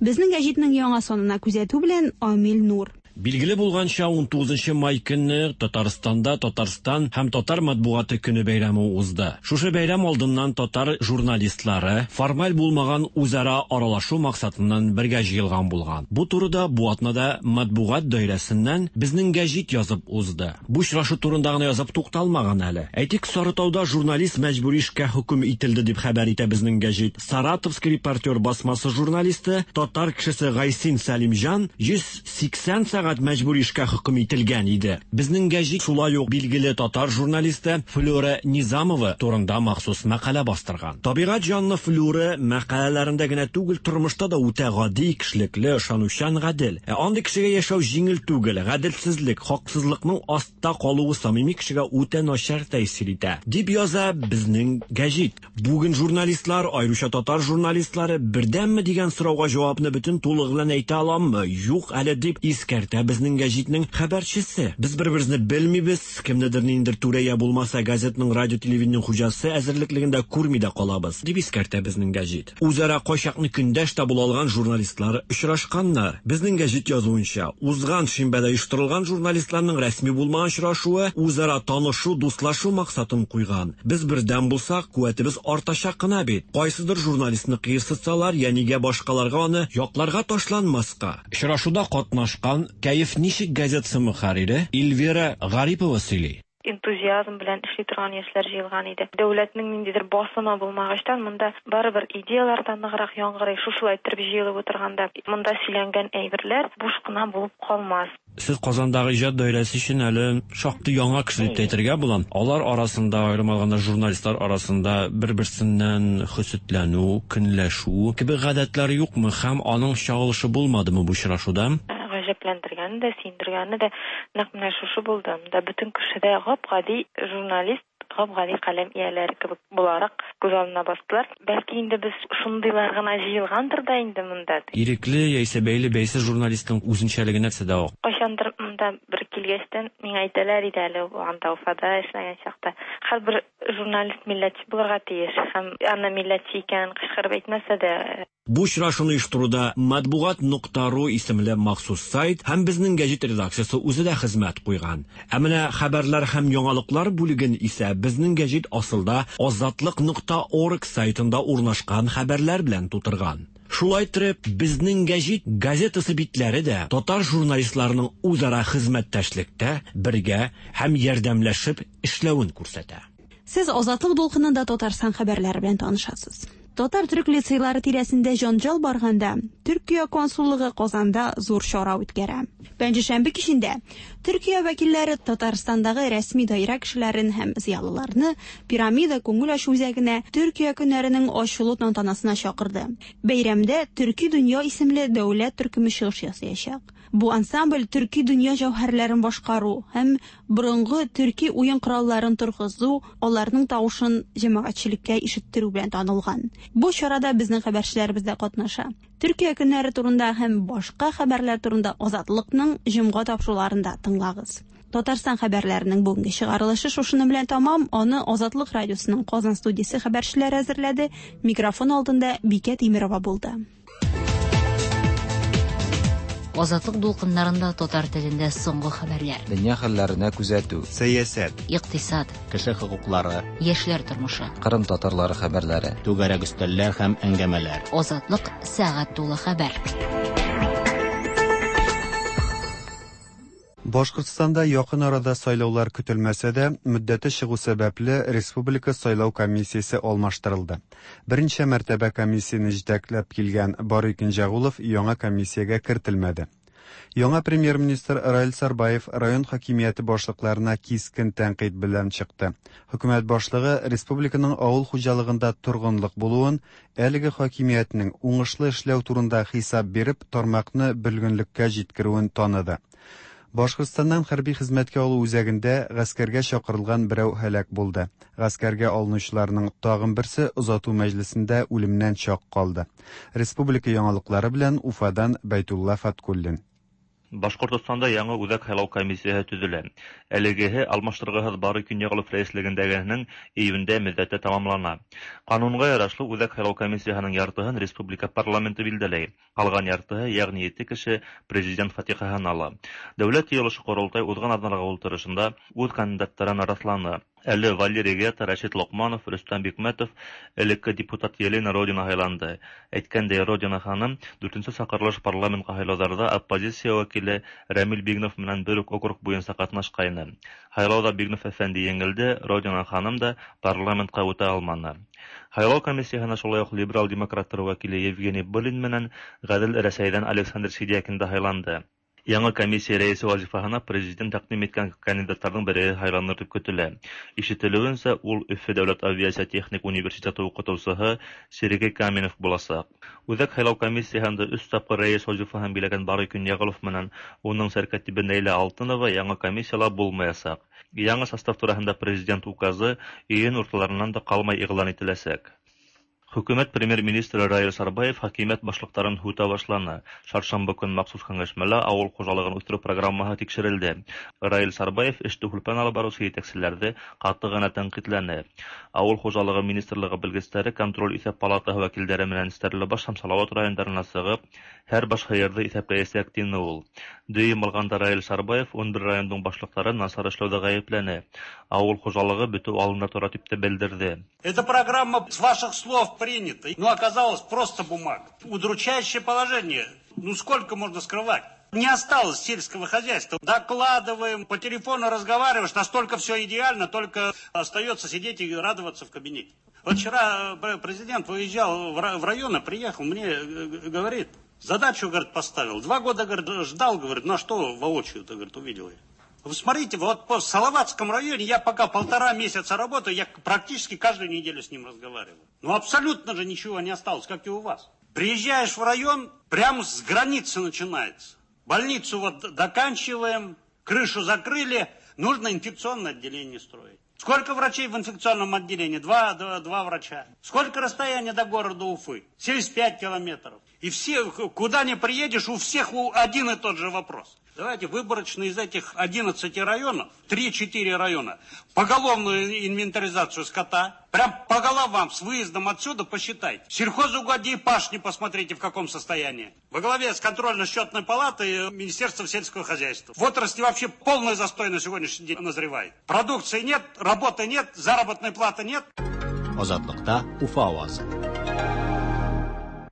Безнең гәҗитнең яңа санына күзәтү белән Амил Нур. Билгеле булганча, 19 май көнне Татарстанда Татарстан һәм татар матбугаты көне бәйрәме узды. Шушы бәйрәм алдыннан татар журналистлары формаль булмаган үзара аралашу максатыннан бергә җыелган булган. Бу турыда бу атнада матбугат даирәсеннән Безнең гәҗит язып узды. Бу очрашу турында гына язып тукталмаган әле. Әйтик, Сарытауда журналист мәҗбүри эшкә хөкем ителде дип хәбәр итә Безнең гәҗит. Саратовский репортер басмасы журналисты, татар кешесе Гайсин Сәлимҗан 180 сәгать сәгать мәҗбүри эшкә хөкем ителгән иде. Безнең гәҗит шулай ук билгеле татар журналисты Флюра Низамова турында махсус мәкалә бастырган. Табигать җанлы Флюра мәкаләләрендә генә түгел, тормышта да үтә гади, кешелекле, ышанучан, гадел. Ә андый кешегә яшәү җиңел түгел, гаделсезлек, хаксызлыкның астта калуы самими кешегә үтә начар тәэсир итә, дип яза безнең гәҗит. Бүген журналистлар, аеруча татар журналистлары, бердәмме дигән сорауга җавапны бөтен тулыгы белән әйтә аламмы? Юк әле, дип искәртә безнең гәҗитнең хәбәрчесе. Без бер-беребезне белмибез, кемнедер ниндидер түрә я булмаса газетның, радио-телевидениенең хуҗасы әзерлеклегендә күрми дә калабыз, дип искәртә безнең гәҗит. Үзара кайчакны көндәш тә була алган журналистлар очрашканнар. Безнең гәҗит язуынча, узган шимбәдә оештырылган журналистларның рәсми булмаган очрашуы үзара танышу, дуслашу максатын куйган. Без бердәм булсак, куәтебез артачак кына бит. Кайсыдыр журналистны кыерсытсалар, я нигә башкаларга аны якларга ташланмаска? Очрашуда катнашкан Кәеф ничек газетасы мөхәррире Эльвира Гарипова сөйли. Энтузиазм белән эшли торган яшьләр җыелган иде. Дәүләтнең ниндидер басымы булмагачтан, монда барыбер идеяләр дә ныграк яңгырый. Шушылай иттереп җыелып утырганда, монда сөйләнгән әйберләр буш кына булып калмас. Сез Казандагы иҗат даирәсе өчен әле шактый яңа кеше дип тә әйтергә була. Алар арасында, аерым алганда журналистлар арасында бер-берсеннән хөсетләнү, көнләшү кебек гадәтләр юкмы һәм аның чагылышы булмадымы бу очрашуда? Гаҗәпләндергәне дә, сөендергәне дә нәкъ менә шушы булды. Монда бөтен кеше дә гап-гади журналист, гап-гади каләм ияләре кебек буларак күз алдына бастылар. Бәлки инде без шундыйлар гына җыелгандыр да инде монда. Ирекле яисә бәйле-бәйсез журналистның үзенчәлеге нәрсәдә ул? Кайчандыр монда бер килгәчтен миңа әйтәләр иде әле, анда Уфада эшләгән чакта. Һәрбер журналист милләтче булырга тиеш һәм аны милләтче икәнен кычкырып әйтмәсә дә. Бу очрашуны оештыруда Матбугат нокта ру исемле махсус сайт һәм безнең гәҗит редакциясе үзе дә хезмәт куйган. Ә менә хәбәрләр һәм яңалыклар бүлеген исә безнең гәҗит асылда Азатлык нокта орг сайтында урнашкан хәбәрләр белән тутырган. Шулай иттереп, безнең гәҗит газетасы битләре дә татар журналистларының үзара хезмәттәшлектә, бергә һәм ярдәмләшеп эшләвен күрсәтә. Сез Азатлык дулкынында Татарстан хәбәрләре белән танышасыз. Татар-төрек лицейлары тирәсендә җанҗал барганда, Төркия консуллыгы Казанда зур чара үткәрә. Пәнҗешәмбе кичендә Төркия вәкилләре Татарстандагы рәсми даирә кешеләрен һәм зыялыларны Пирамида күңел ачу үзәгенә Төркия көннәренең ачылу тантанасына чакырды. Бәйрәмдә Төрки дөнья исемле дәүләт төркеме чыгыш ясаячак. Бу ансамбль төрки дөнья җәүһәрләрен башкару һәм борынгы төрки уен коралларын торгызу, аларның тавышын җәмәгатьчелеккә ишеттерү белән танылган. Бу чарада безнең хәбәрчеләребез дә катнаша. Төркия көннәре турында һәм башка хәбәрләр турында Азатлыкның җомга тапшыруларында тыңлагыз. Татарстан хәбәрләренең бүгенге чыгарылышы шушының белән тәмам. Аны Азатлык радиосының Казан студиясе хәбәрчеләре әзерләде. Микрофон алдында Бикә Тимерова булды. Азатлык дулкыннарында татар телендә соңгы хәбәрләр. Дөнья хәлләренә күзәтү. Сәясәт. Икътисад. Кеше хокуклары. Яшьләр тормышы. Кырым татарлары хәбәрләре. Түгәрәк өстәлләр һәм әңгәмәләр. Азатлык сәгать тулы хәбәр. Башкортстанда якын арада сайлаулар көтелмәсә дә, мөддәте чыгу сәбәпле, республика сайлау комиссиясе алмаштырылды. Берничә мәртәбә комиссияне җитәкләп килгән Барый Кенҗәгулов яңа комиссиягә кертелмәде. Яңа премьер-министр Раил Сарбаев район хакимияте башлыкларына кискен тәнкыйть белән чыкты. Хөкүмәт башлыгы республиканың авыл хуҗалыгында торгынлык булуын, әлеге хакимиятнең уңышлы эшләү турында хисап биреп, тармакны бөлгенлеккә җиткерүен таныды. Башкортстаннан хәрби хезмәткә алу үзәгендә гаскәргә чакырылган берәү һәлак булды. Гаскәргә алынучыларның тагын берсе озату мәҗлесендә үлемнән чак калды. Республика яңалыклары белән Уфадан Бәйтулла Фаткуллин. Башкортостанда яңа үзәк һайлау комиссияһе төзелә. Әлегеһе алмаштыргыһыз Барый Көньяголов рәислегендәгеһенең июньдә мөддәте тәмамлана. Канунга ярашлы үзәк һайлау комиссияһенең яртыһын республика парламенты билдәләй. Калган яртыһы, ягъни ете кеше президент фатихаһын ала. Дәүләт йыелышы-Корылтай узган атналарга утырышында үз кандидаттарын расланы. Әле Валерий Гета, Рәшит Локманов, Рөстәм Бикмәтов, элекке депутат Елена Родина һайланды. Әйткәндәй, Родина ханым дүртенче чакырылыш парламентка һайлауларда оппозиция вәкиле Рәмил Бигнов белән бер үк округ буенча катнашкайны. Һайлауда Бигнов әфәнде җиңелде, Родина ханым да парламентка үтә алманы. Һайлау комиссияһенә шулай ук либерал демократлар вәкиле Евгений Былин менән Гадел Рәсәйдән Александр Сидякин да һайланды. Яңа комиссия рәисе вазифаһына президент тәкъдим иткән кандидатларның береһе һайланыр дип көтелә. Ишетелүенчә, ул Өфе дәүләт авиация техник университеты укытучыһы Сергей Каменев булачак. Үзәк һайлау комиссияһендә өч тапкыр рәис вазифаһын биләгән Барый Көньяголов менән уның сәркәтибе Нәйлә Алтынова яңа комиссияла булмаячак. Яңа состав тураһында президент указы июнь урталарыннан да калмай игълан ителәчәк. Хөкүмәт премьер-министры Раил Сарбаев хакимият башлыктарын һүтә башланы. Чаршамбы көн махсус киңәшмәлә авыл хуҗалыгын үстерү программаһы тикшерелде. Раил Сарбаев эште һүлпән алып баручы җитәкчеләрҙе ҡаты ғына тәнҡитләне. Авыл хужалығы министрлығы белгестәре контроль иҫәп палатаһы вәкилдәре менән Стәрлебаш һәм Салауат райондарына сығып, һәр баш һыйырҙы иҫәпләйәсәк, тине ул. Дөйөм алғанда Раил Сарбаев 11 райондың башлыҡтарын насар эшләүҙә ғәйепләне. Ауыл хужалығы бөтөү алдында тора тип тә белдерҙе. Эта программа с ваших слов принята, но оказалось просто бумага. Удручающее положение. Ну сколько можно скрывать? Не осталось сельского хозяйства. Докладываем, по телефону разговариваешь, настолько все идеально, только остается сидеть и радоваться в кабинете. Вот вчера президент выезжал в районы, приехал, мне говорит, задачу, говорит, поставил. 2 года, говорит, ждал, говорит, ну а что воочию-то, говорит, увидел я. Вы смотрите, вот по Салаватском районе я пока 1,5 месяца работаю, я практически каждую неделю с ним разговариваю. Ну абсолютно же ничего не осталось, как и у вас. Приезжаешь в район, прямо с границы начинается. Больницу вот доканчиваем, крышу закрыли, нужно инфекционное отделение строить. Сколько врачей в инфекционном отделении? Два врача. Сколько расстояние до города Уфы? 75 километров. И все, куда ни приедешь, у всех один и тот же вопрос. Давайте выборочно из этих 11 районов, 3-4 района, поголовную инвентаризацию скота, прям по головам с выездом отсюда посчитайте. Сельхозугодья и пашни посмотрите, в каком состоянии. Во главе с контрольно-счетной палатой Министерства сельского хозяйства. В отрасли вообще полный застой на сегодняшний день назревает. Продукции нет, работы нет, заработной платы нет. Азатлыкта Уфа авазы.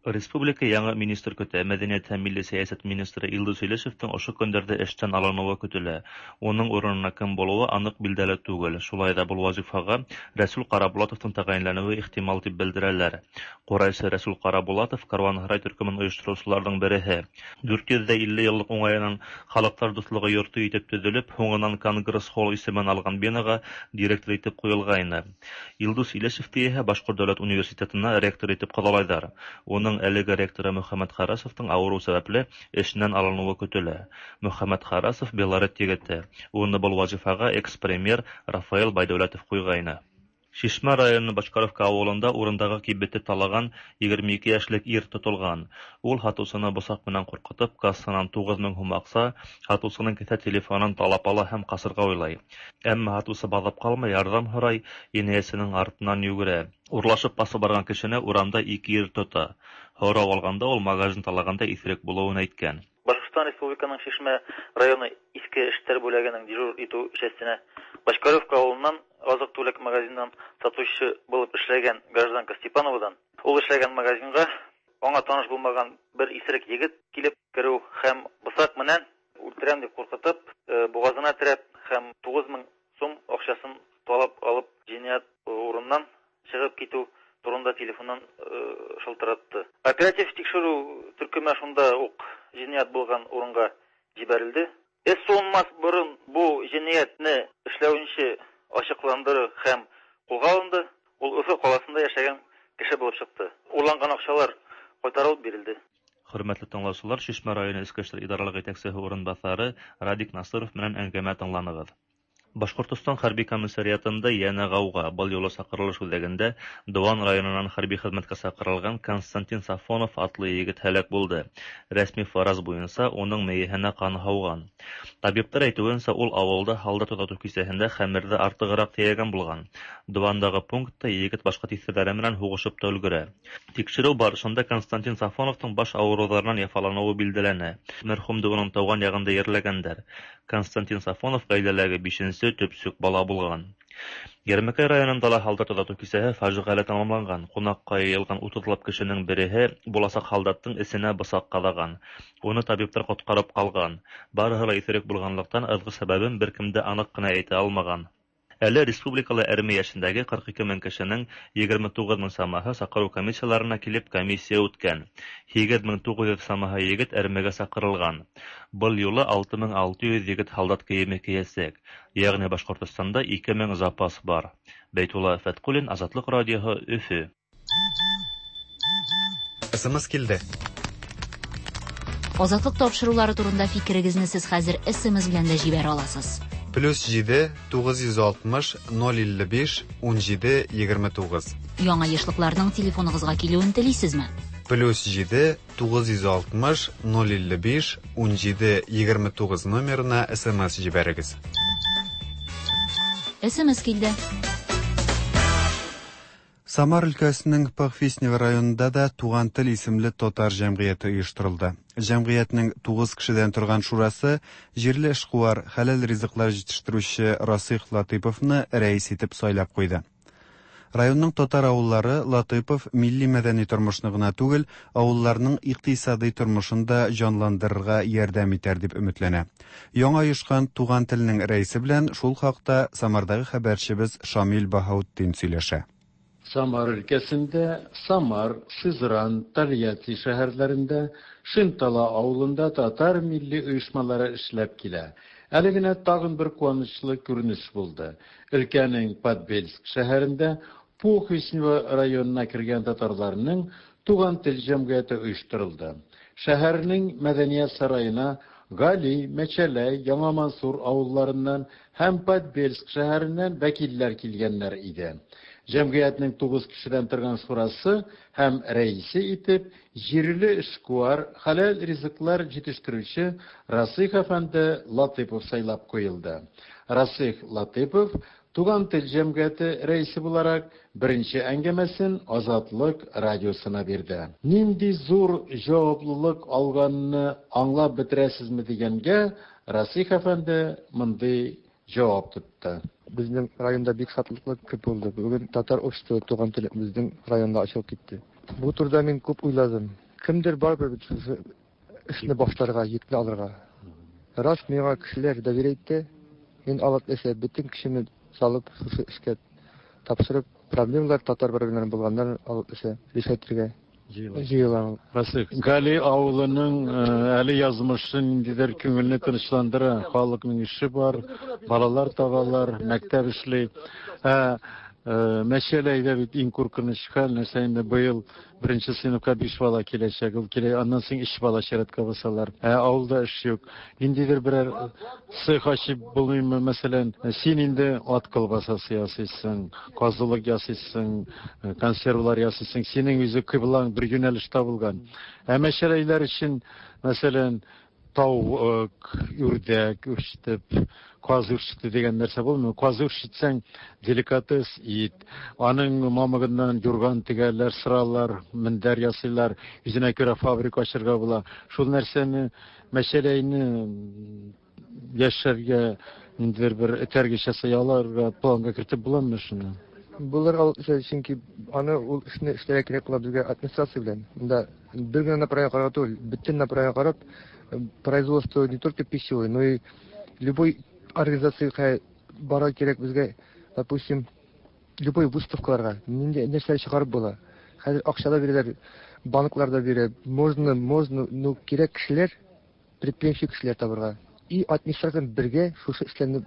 Республика яңы министр көтә. Мәдәният һәм милли сәясәт министры Илдус Илешевтең ошо көндәрҙә эштән алыныуы көтөлә. Уның урынына кем булыуы аныҡ билдәле түгел. Шулай ҙа был вазифаға Рәсүл Ҡарабулатовтың тәғәйенләнеүе ихтимал тип белдерәләр. Ҡурайсы Рәсүл Ҡарабулатов Каруанһарай төркөмөн ойоштороусыларҙың береһе. 450 йыллыҡ уңайынан Халыҡтар дуҫлығы йорто итеп төҙөлөп, һуңынан Конгресс-холл исемен алған бинаға директор итеп ҡуйылғайны. Илдус Илешевте иһә Башҡорт дәүләт университетына ректор итеп ҡалалайҙар. Уның әлеге ректоры Мөхәммәт Харасовтың ауырыу сәбәпле эшенән алыныуы көтөлә. Мөхәммәт Харасов Белорет егете. Уны был вазифаға экс-премьер Рафаэл Байдәүләтов ҡуйғайны. Шишмә районы Бочкаровка ауылында урындағы кибетте талаған 22 йәшлек ир тотолған. Ул һатыусыны бысаҡ менән ҡурҡытып, кассанан 9000 һум аҡса, һатыусының кеҫә телефонын талап ала һәм ҡасырға уйлай. Әммә һатыусы баҙап ҡалмай, ярҙам һорай, инәйәсенең артынан йүгерә. Урлашып ҡасып барған кешене урамда 2 ир тота. Һорау алғанда ул магазин талағанда иҫерек булыуын әйткән. Башҡортостан Республиканың Шишмә районы Иҫке эштәр бүлегенең дежур итеү частенә Бочкаревка ауылынан азыҡ-түлек магазинынан сатыусы булып эшләгән гражданка Степановадан ул эшләгән магазинға аңа таныш булмаған бер иҫерек егет килеп кереү һәм бысаҡ менән үлтерәм дип ҡурҡытып, боғаҙына терәп һәм 9000 сум аҡсасын талап алып енәйәт урынынан сығып китеү турында телефоннан шылтыратты. Оператив тикшереү төркөмө шунда уҡ енәйәт булған урынға ебәрелде. Эш суынмаҫ борон бу енәйәтне эшләүенсе асыҡландырыу һәм ҡулға алынды. Ул Өфө ҡалаһында йәшәгән кеше булып сыҡты. Урланған аҡсалар ҡайтарылып бирелде. Хөрмәтле тыңлаусылар, Шишмә районы Эске эштәр идаралыҡ етәксеһе урынбаҫары Радик Насыров менән әңгәмә тыңланығыҙ. Башҡортостан хәрби комиссариатында йәнә ғауға. Был юлы саҡырылыш үҙәгендә Дыуан районынан хәрби хеҙмәткә саҡырылған Константин Сафонов атлы егет һәләк булды. Рәсми фараз буйынса уның мейеһенә ҡан һауған. Табиптар әйтеүенсә, ул ауылда һалдат оҙатыу кисәһендә хәмерҙе артығыраҡ тейәгән булған. Дыуандағы пунктта егет башҡа тиҫтерҙәре менән һуғышып та өлгөрә. Тикшереү барышында Константин Сафоновтың баш ауырыуҙарынан яфаланыуы билдәләнә. Мәрхүмде уның тыуған яғында ерләгәндәр. Константин Сафонов ғаиләләге 5-нсе төпсөк бала булған. Йәрмәкәй районында ла һалдат оҙатыу кисәһе фажиғәле тамамланған. Ҡунаҡҡа йыйылған 30-лап кешенең береһе буласаҡ һалдаттың эсенә бысаҡ ҡаҙаған. Уны табиптар ҡотҡарып ҡалған. Барыһы ла иҫерек булғанлыҡтан ыҙғы сәбәбен бер кем дә аныҡ ҡына әйтә алмаған. Әле республикала әрме яшендәге 42 мең кешенең 29 мең самаһы сакыру комиссияларына килеп комиссия үткән. 8900 самаһы егет әрмегә сакырылган. Был юлы 6600 егет һалдат кейеме кейәсәк. Ягъни Башкортостанда 2000 запас бар. Бәйтулла Фәткуллин, Азатлык радиоһы, Өфө. СМС килде. Азатлык тапшырулары турында фикерегезне сез хәзер СМС белән дә җибәрә аласыз. Плюс 7 960 055 17 29. Яңа ешлыкларның телефоныгызга килүен телисезме? Плюс 7 960 055 17 29 номерына СМС җибәрегез. СМС килде. Самар өлкәсенең Похвистнево районында да Туган тел исемле татар җәмгыяте оештырылды. Җәмгыятьнең 9 кешедән торган шурасы җирле эшкуар, хәләл ризыклар җитештерүче Расих Латыйповны рәис итеп сайлап куйды. Районның татар авыллары Латыйпов милли мәдәни тормышны гына түгел, авылларның икътисадый тормышын да җанландырырга ярдәм итәр дип өметләнә. Яңа оешкан Туган телнең рәисе белән шул хакта Самардагы хәбәрчебез Шамил Баһаутдин сөйләшә. Самар өлкәсендә, Самар, Сызран, Тольятти шәһәрләрендә, Шентала авылында татар милли оешмалары эшләп килә. Әле генә тагын бер куанычлы күренеш булды. Өлкәнең Подбельск шәһәрендә Похвистнево районына кергән татарларның Туган тел җәмгыяте оештырылды. Шәһәрнең мәдәният сараена Гали, Мәчәләй, Яңа Мансур авылларыннан һәм Подбельск шәһәреннән вәкилләр килгәннәр иде. Җәмгыятьнең тугыз кешедән торган шурасы һәм рәисе итеп җирле эшкуар, хәләл ризыклар җитештерүче Расыйх әфәнде Латыйпов сайлап куелды. Расыйх Латыйпов Туган тел җәмгыяте рәисе буларак, беренче әңгәмәсен Азатлык радиосына бирде. Нинди зур җаваплылык алганны аңлап бетерәсезме дигәнгә, Расыйх әфәнде мондый җавап тотты. Безнең районда бик шатлыклы көн булды. Бүген татар обществосы Туган тел безнең районда ачылып китте. Бу турыда мин күп уйладым. Кемдер барыбер бит шушы эшне башларга, йөкне алырга. Рас, миңа кешеләр доверие итте. Мин алып эшә бөтен көчемне салып шушы эшкә тапшырып, проблемалар татар проблемалары булганнар алып эшә решать итәргә җыелам. Расих, Гали авылының әле язмышы ниндидер күңелне тынычландыра. Халыкның эше бар, балалар табалар, мәктәп эшли. Ә Мәчәләйдә бит иң куркыныч хәл, нәрсә инде быел беренче сыйныфка биш бала киләчәк, ул килә, аннан соң өч бала чиратка басалар. Ә авылда эш юк. Ниндидер берәр цех ачып булмыймы, мәсәлән, син инде ат колбасасы ясыйсың, казылык ясыйсың, консервлар ясыйсың, синең үзе кыйблаң бер юнәлештә булган. Ә мәчәләйләр өчен, мәсәлән, тавык, үрдәк үрчетеп, каз үрчетү дигән нәрсә булмый. Каз үрчетсәң, деликатес ит. Аның мамыгыннан юрган тегәләр, сыралар, мендәр ясыйлар. Үзенә күрә фабрика ачырга була. Шул нәрсәне, мәчәләйне яшәргә ниндидер бер этәргеч ясый аларга планга кертеп буламы шуны? Булыр ул, чөнки аны ул эшне эшләргә кирәк була безгә администрация белән. Монда бер генә направление карарга түгел, бөтен направление карап, производство не только пищевой, но и любой организациягә барырга кирәк безгә, допустим, любой выставкаларга, нинди нәрсәләр чыгарып була. Хәзер акча да бирәләр, банклар да бирә. Можно, можно, но кирәк кешеләр, предприимчив кешеләр табырга. И администрация белән бергә шушы эшләрне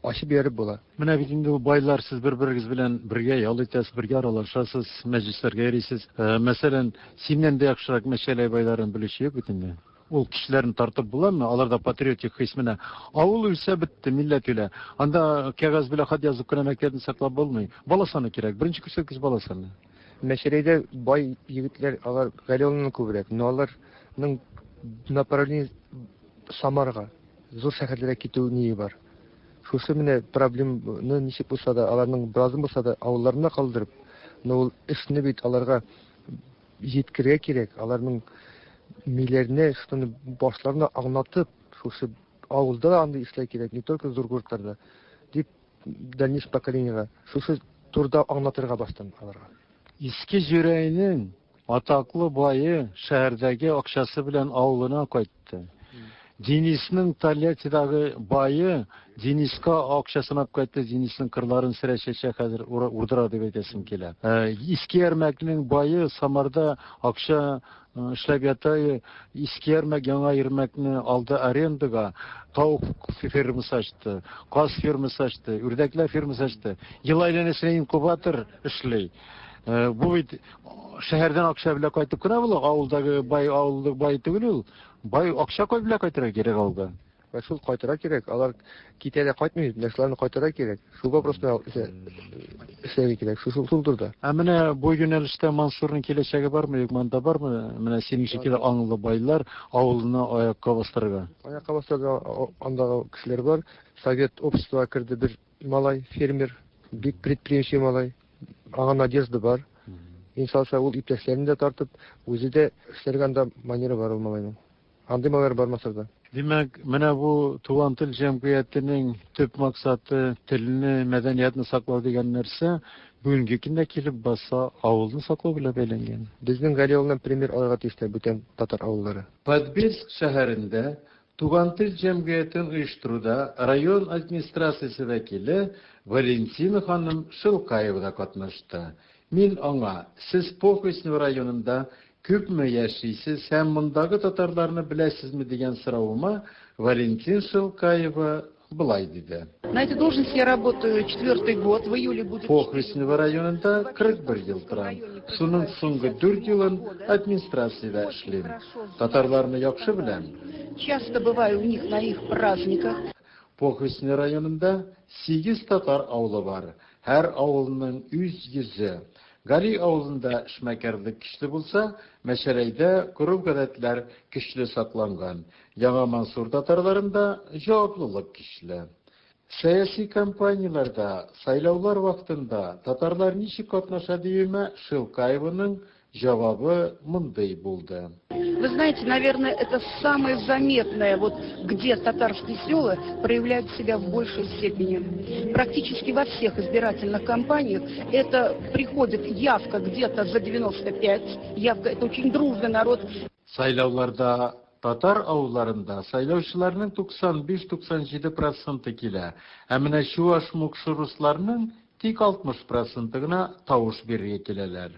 ачып җибәреп була. Менә бит инде ул байлар, сез бер-берегез белән бергә ял итәсез, бергә аралашасыз, мәҗлесләргә йөрисез. Мәсәлән, синнән дә яхшырак Мәчәләй байларын белүче юк бит инде. Ул кешеләрне тартып буламы? Аларда патриотик хис менә. Авыл үлсә бетте, милләт үлә. Анда кәгазь белән хат язып кына мәктәпне саклап булмый. Бала саны кирәк. Беренче күрсәткеч бала саны. Мәчәләйдә бай егетләр, алар Галиуллиннан күбрәк, но аларның направление Самарга, зур шәһәрләргә китү ние бар. Шушы менә проблемны ничек булса да, аларның беразын булса да авылларында калдырып, но ул эшне бит аларга җиткерергә кирәк, аларның миләренә, шуны башларына аңлатып, шушы авылда да андый эшләр кирәк, не только зур городларда, дип дальнейшем поколениега шушы турыда аңлатырга баштан аларга. Иске Җүрәйнең атаклы бае шәһәрдәге акчасы белән авылына кайтты. Денисның Тольяттидагы бае Дениска акчасын алып кайтты, Денисның кырларын сөрә, чәчә, хәзер урдыра дип әйтәсем килә. Иске Ярмәкнең бае Самарда акча эшләп ята, Иске Ярмәк, Яңа Ярмәкне алды арендага, тавык фермасы ачты, каз фермасы ачты, үрдәкләр фермасы ачты. Ел әйләнәсенә инкубатор эшли. Бу бит шәһәрдән акча белән кайтып кына була, авылдагы бай авылдагы бай түгел ул. Бай акча кой белән кайтырга кирәк авылга. Вә шул кайтырга кирәк. Алар китә дә кайтмый бит. Менә шуларны кайтырга кирәк. Шул вопрос белән эшләргә кирәк. Шул шул турыда. Ә менә бу юнәлештә Мансурның киләчәге бармы, юкмы, анда бармы? Менә синең шикелле аңлы байлар авылны аякка бастырырга. Аякка бастырырга андагы кешеләр бар. Совет обществога керде бер малай, фермер, бик предприимчивый малай. Аңа надежда бар. Иншалла, ул иптәшләрен дә тартып, үзе дә эшләргә анда манера бар ул малайның. Андый малайлар бар Масырда. Димәк, менә бу Туган тел җәмгыятенең төп максаты телне, мәдәниятне саклау дигән нәрсә бүгенге көндә килеп баса авылны саклау белән бәйләнгән. Безнең Гали авылыннан пример алырга тиешләр бүтән татар авыллары. Подбельск шәһәрендә Туган тел җәмгыятен оештыруда район администрациясе вәкиле Валентина ханым Шелкаева да катнашты. Мин аңа, Сез Похвистнево районында күпме яшисез һәм мондагы татарларны беләсезме дигән соравыма Валентин Шелкаева болай диде. На этой должности я работаю четвертый год, в июле будет... Похвистнево районында 41 ел торам. Шуның соңгы 4 елын администрациядә эшлим. Татарларны яхшы беләм. Часто бываю у них на их праздниках. Похвистнево районында 8 татар авылы бар. Һәр авылның үз йөзе. Гали авылында эшмәкәрлек көчле булса, Мәчәләйдә гореф-гадәтләр көчле сакланган. Яңа Мансур татарларында җаваплылык көчле. Сәяси кампанияләрдә, сайлаулар вакытында татарлар ничек катнаша диюемә Шелкаеваның җавабы мондый булды. Вы знаете, наверное, это самое заметное, вот где татарские села проявляют себя в большей степени. Практически во всех избирательных кампаниях это приходит явка где-то за 95, явка, это очень дружный народ. Сайлауларда татар авылларында сайлаучыларның 95-97 проценты килә, ә менә чуаш, мукшы, русларның тик 60 проценты гына тавыш бирергә киләләр.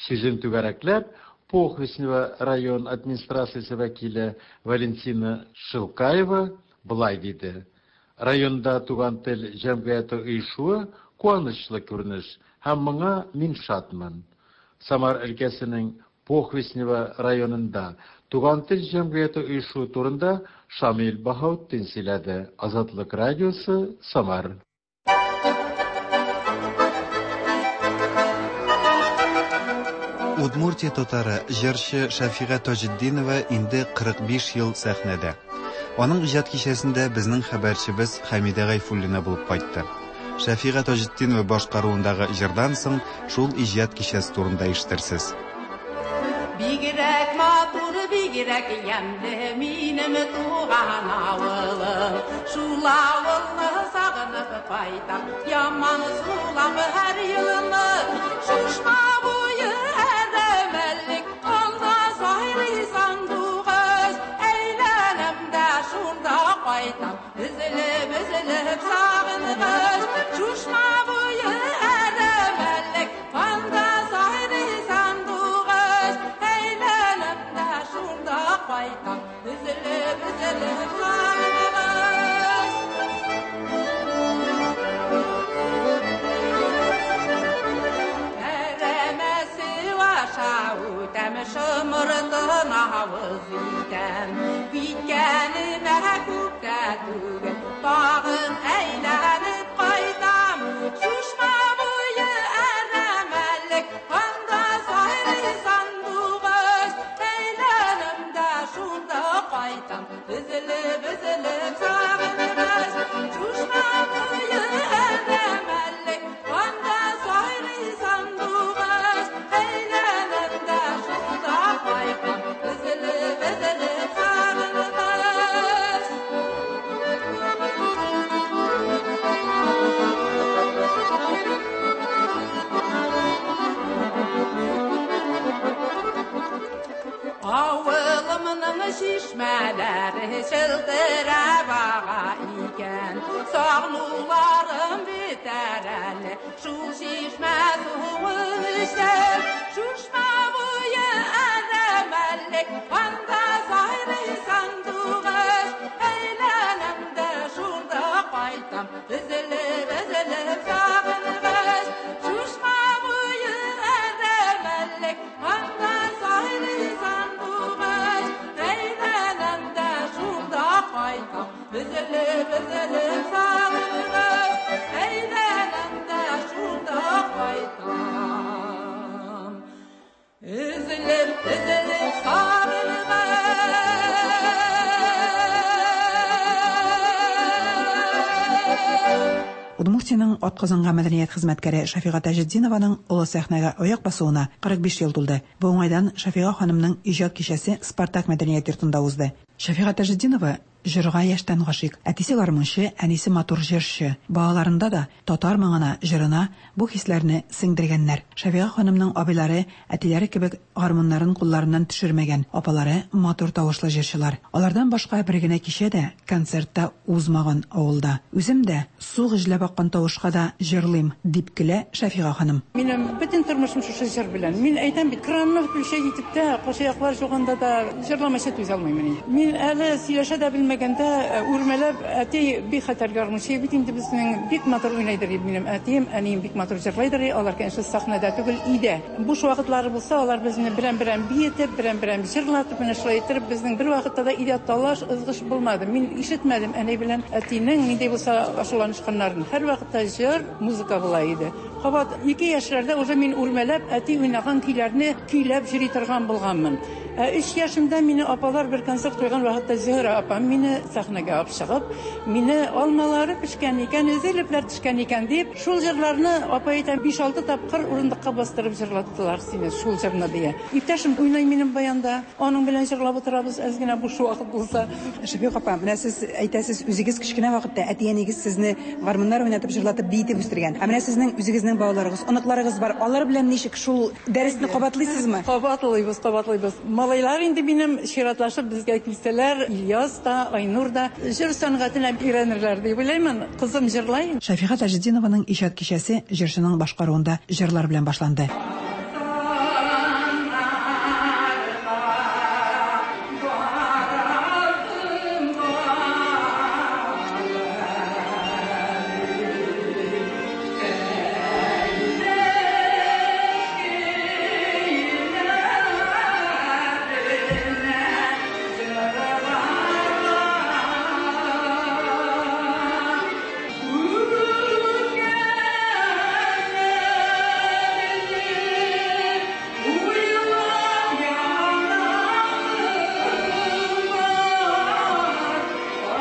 Сүзен түгәрәкләп, Похвистнево район администрациясе вәкиле Валентина Шелкаева болай диде: Районда Туган тел җәмгыяте оешуы куанычлы күренеш һәм моңа мин шатмын. Самар өлкәсенең Похвистнево районында Туган тел җәмгыяте оешуы турында Шамил Баһаутдин сөйләде. Азатлык радиосы, Самар. Удмуртия татары, җырчы Шәфига Таҗетдинова инде 45 ел сәхнәдә. Аның иҗат кичәсендә безнең хәбәрчебез Хәмидә Гайфуллина булып кайтты. Шәфига Таҗетдинова башкаруындагы җырдан соң шул иҗат кичәсе турында ишетерсез. Бигрәк матур, бигрәк ямьле минем туган авылым. Шул авылны сагынып кайтам, яман сулап һәр елны. Шушма буе әрәмәлек, анда сайрый сандугач. Әйләнәм дә шунда кайтам, өзелеп, өзелеп сагынгач. Шушма буе әрәмәлек, анда сайрый сандугач. Әйләнәм дә шунда кайтам, өзелеп, өзелеп сагынгач. Әрәмәсе аша үтәм, шымыртын авыз итәм. Киткәнемә күп тә түгел, тагын әйләнеп кайтам. Шушма буе әрәмәлек, анда сайрый сандугач. Әйләнәм дә шунда кайтам, өзелеп, өзелеп сагынгач. Шушма буе әрәмәлек, анда сайрый сандугач. Әйләнәм дә шунда кайтам, өзелеп, өзелеп сагынгач. Авылым Авылымның чишмәләре чылтырап ага икән. Сагынуларым бетәр әле, шул чишмә суын эчсәм. Чишмә буе әрәмәлек, анда сайрый сандугач. Әйләнәм дә шунда кайтам, өзелеп, өзелеп сагынгач. Чишмә буе әрәмәлек, анда сайрый сандугач. Әйләнәм дә шунда кайтам, өзелеп, өзелеп сагынгач. Әйләнәм дә шунда кайтам, өзелеп, өзелеп сагынгач. Удмуртиянең атказанган мәдәният хезмәткәре Шафига Таҗетдинованың олы сәхнәгә аяк басуына 45 ел тулды. Бу уңайдан Шафига ханымның иҗат кичәсе Спартак мәдәният йортында узды. Шафига Таҗетдинова җырга яшьтән гашыйк. Әтисе гармунчы, әнисе матур җырчы. Балаларында да татар моңына, җырына бу хисләрне сеңдергәннәр. Шафига ханымның абыйлары әтиләре кебек гармуннарын кулларыннан төшермәгән, апалары матур тавышлы җырчылар. Алардан башка бер генә кичә дә, концерт та узмаган авылда. Үзем дә су гөжләп аккан тавышка да җырлыйм, дип көлә Шафига ханым. Минем бөтен тормышым шушы җыр белән. Мин әйтәм бит, кранны включать итеп тә, кашаяклар жуганда да җырламыйча түзә алмыйм мин. Мин әле сөйләшә дә белмәгәндә, үрмәләп, әти бик хәтәр гармунчы бит инде безнең, бик матур уйнайдыр минем әтием, әнием бик матур җырлайдыр, алар, конечно, сәхнәдә түгел, өйдә. Буш вакытлары булса, алар безне берәм-берәм биетеп, берәм-берәм җырлатып, менә шулай иттереп, безнең бер вакытта да өйдә талаш, ызгыш булмады. Мин ишетмәдем әни белән әтинең нинди булса ачуланышканнарын. Һәрвакытта җыр, музыка була иде. Кабат 2 яшьләрдә уже мин үрмәләп әти уйнаган көйләрне көйләп йөри торган булганмын. Ә 3 яшемдә мине апалар бер концерт куйган вакытта Зөһрә апам мине сәхнәгә алып чыгып, мине алмалары пешкән икән, өзелепләр төшкән икән дип, шул җырларны апа әйтә 5-6 тапкыр урындыкка бастырып җырлаттылар сине шул җырны дия. Иптәшем уйный минем баянда, аның белән җырлап утырабыз әз генә буш вакыт булса. Шәфикъ апа, менә сез әйтәсез, үзегез кечкенә вакытта әти-әниегез сезне гармуннар уйнатып, җырлатып, биетеп үстергән. Ә менә сезнең үзегезнең балаларыгыз, оныкларыгыз бар. Алар белән ничек шул дәресне кабатлыйсызмы? Кабатлыйбыз, кабатлыйбыз. Малайлар инде минем чиратлашып безгә килсәләр, Ильяс та, Айнур да җыр сәнгатенә өйрәнерләр дип уйлыймын. Кызым җырлай. Шәфига Таҗетдинованың иҗат кичәсе җырчының башкаруында җырлар белән башланды.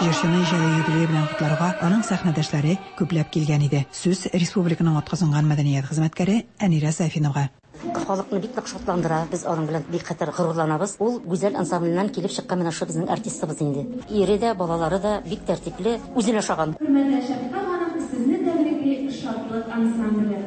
Җырчыны иҗади юбилее белән котларга аның сәхнәдәшләре күпләп килгән иде. Сүз республиканың атказанган мәдәният хезмәткәре Әнирә Сафинова. Халыкны бик нык шатландыра, без аның белән бик хәтәр горурланабыз. Ул Гүзәл ансамбленнән килеп чыккан менә шушы безнең артистыбыз инде. Ире дә, балалары да бик тәртипле, үзенә ошаган. Хөрмәтле Шәфика ханым, сезне тәбрикли Шатлык ансамбле.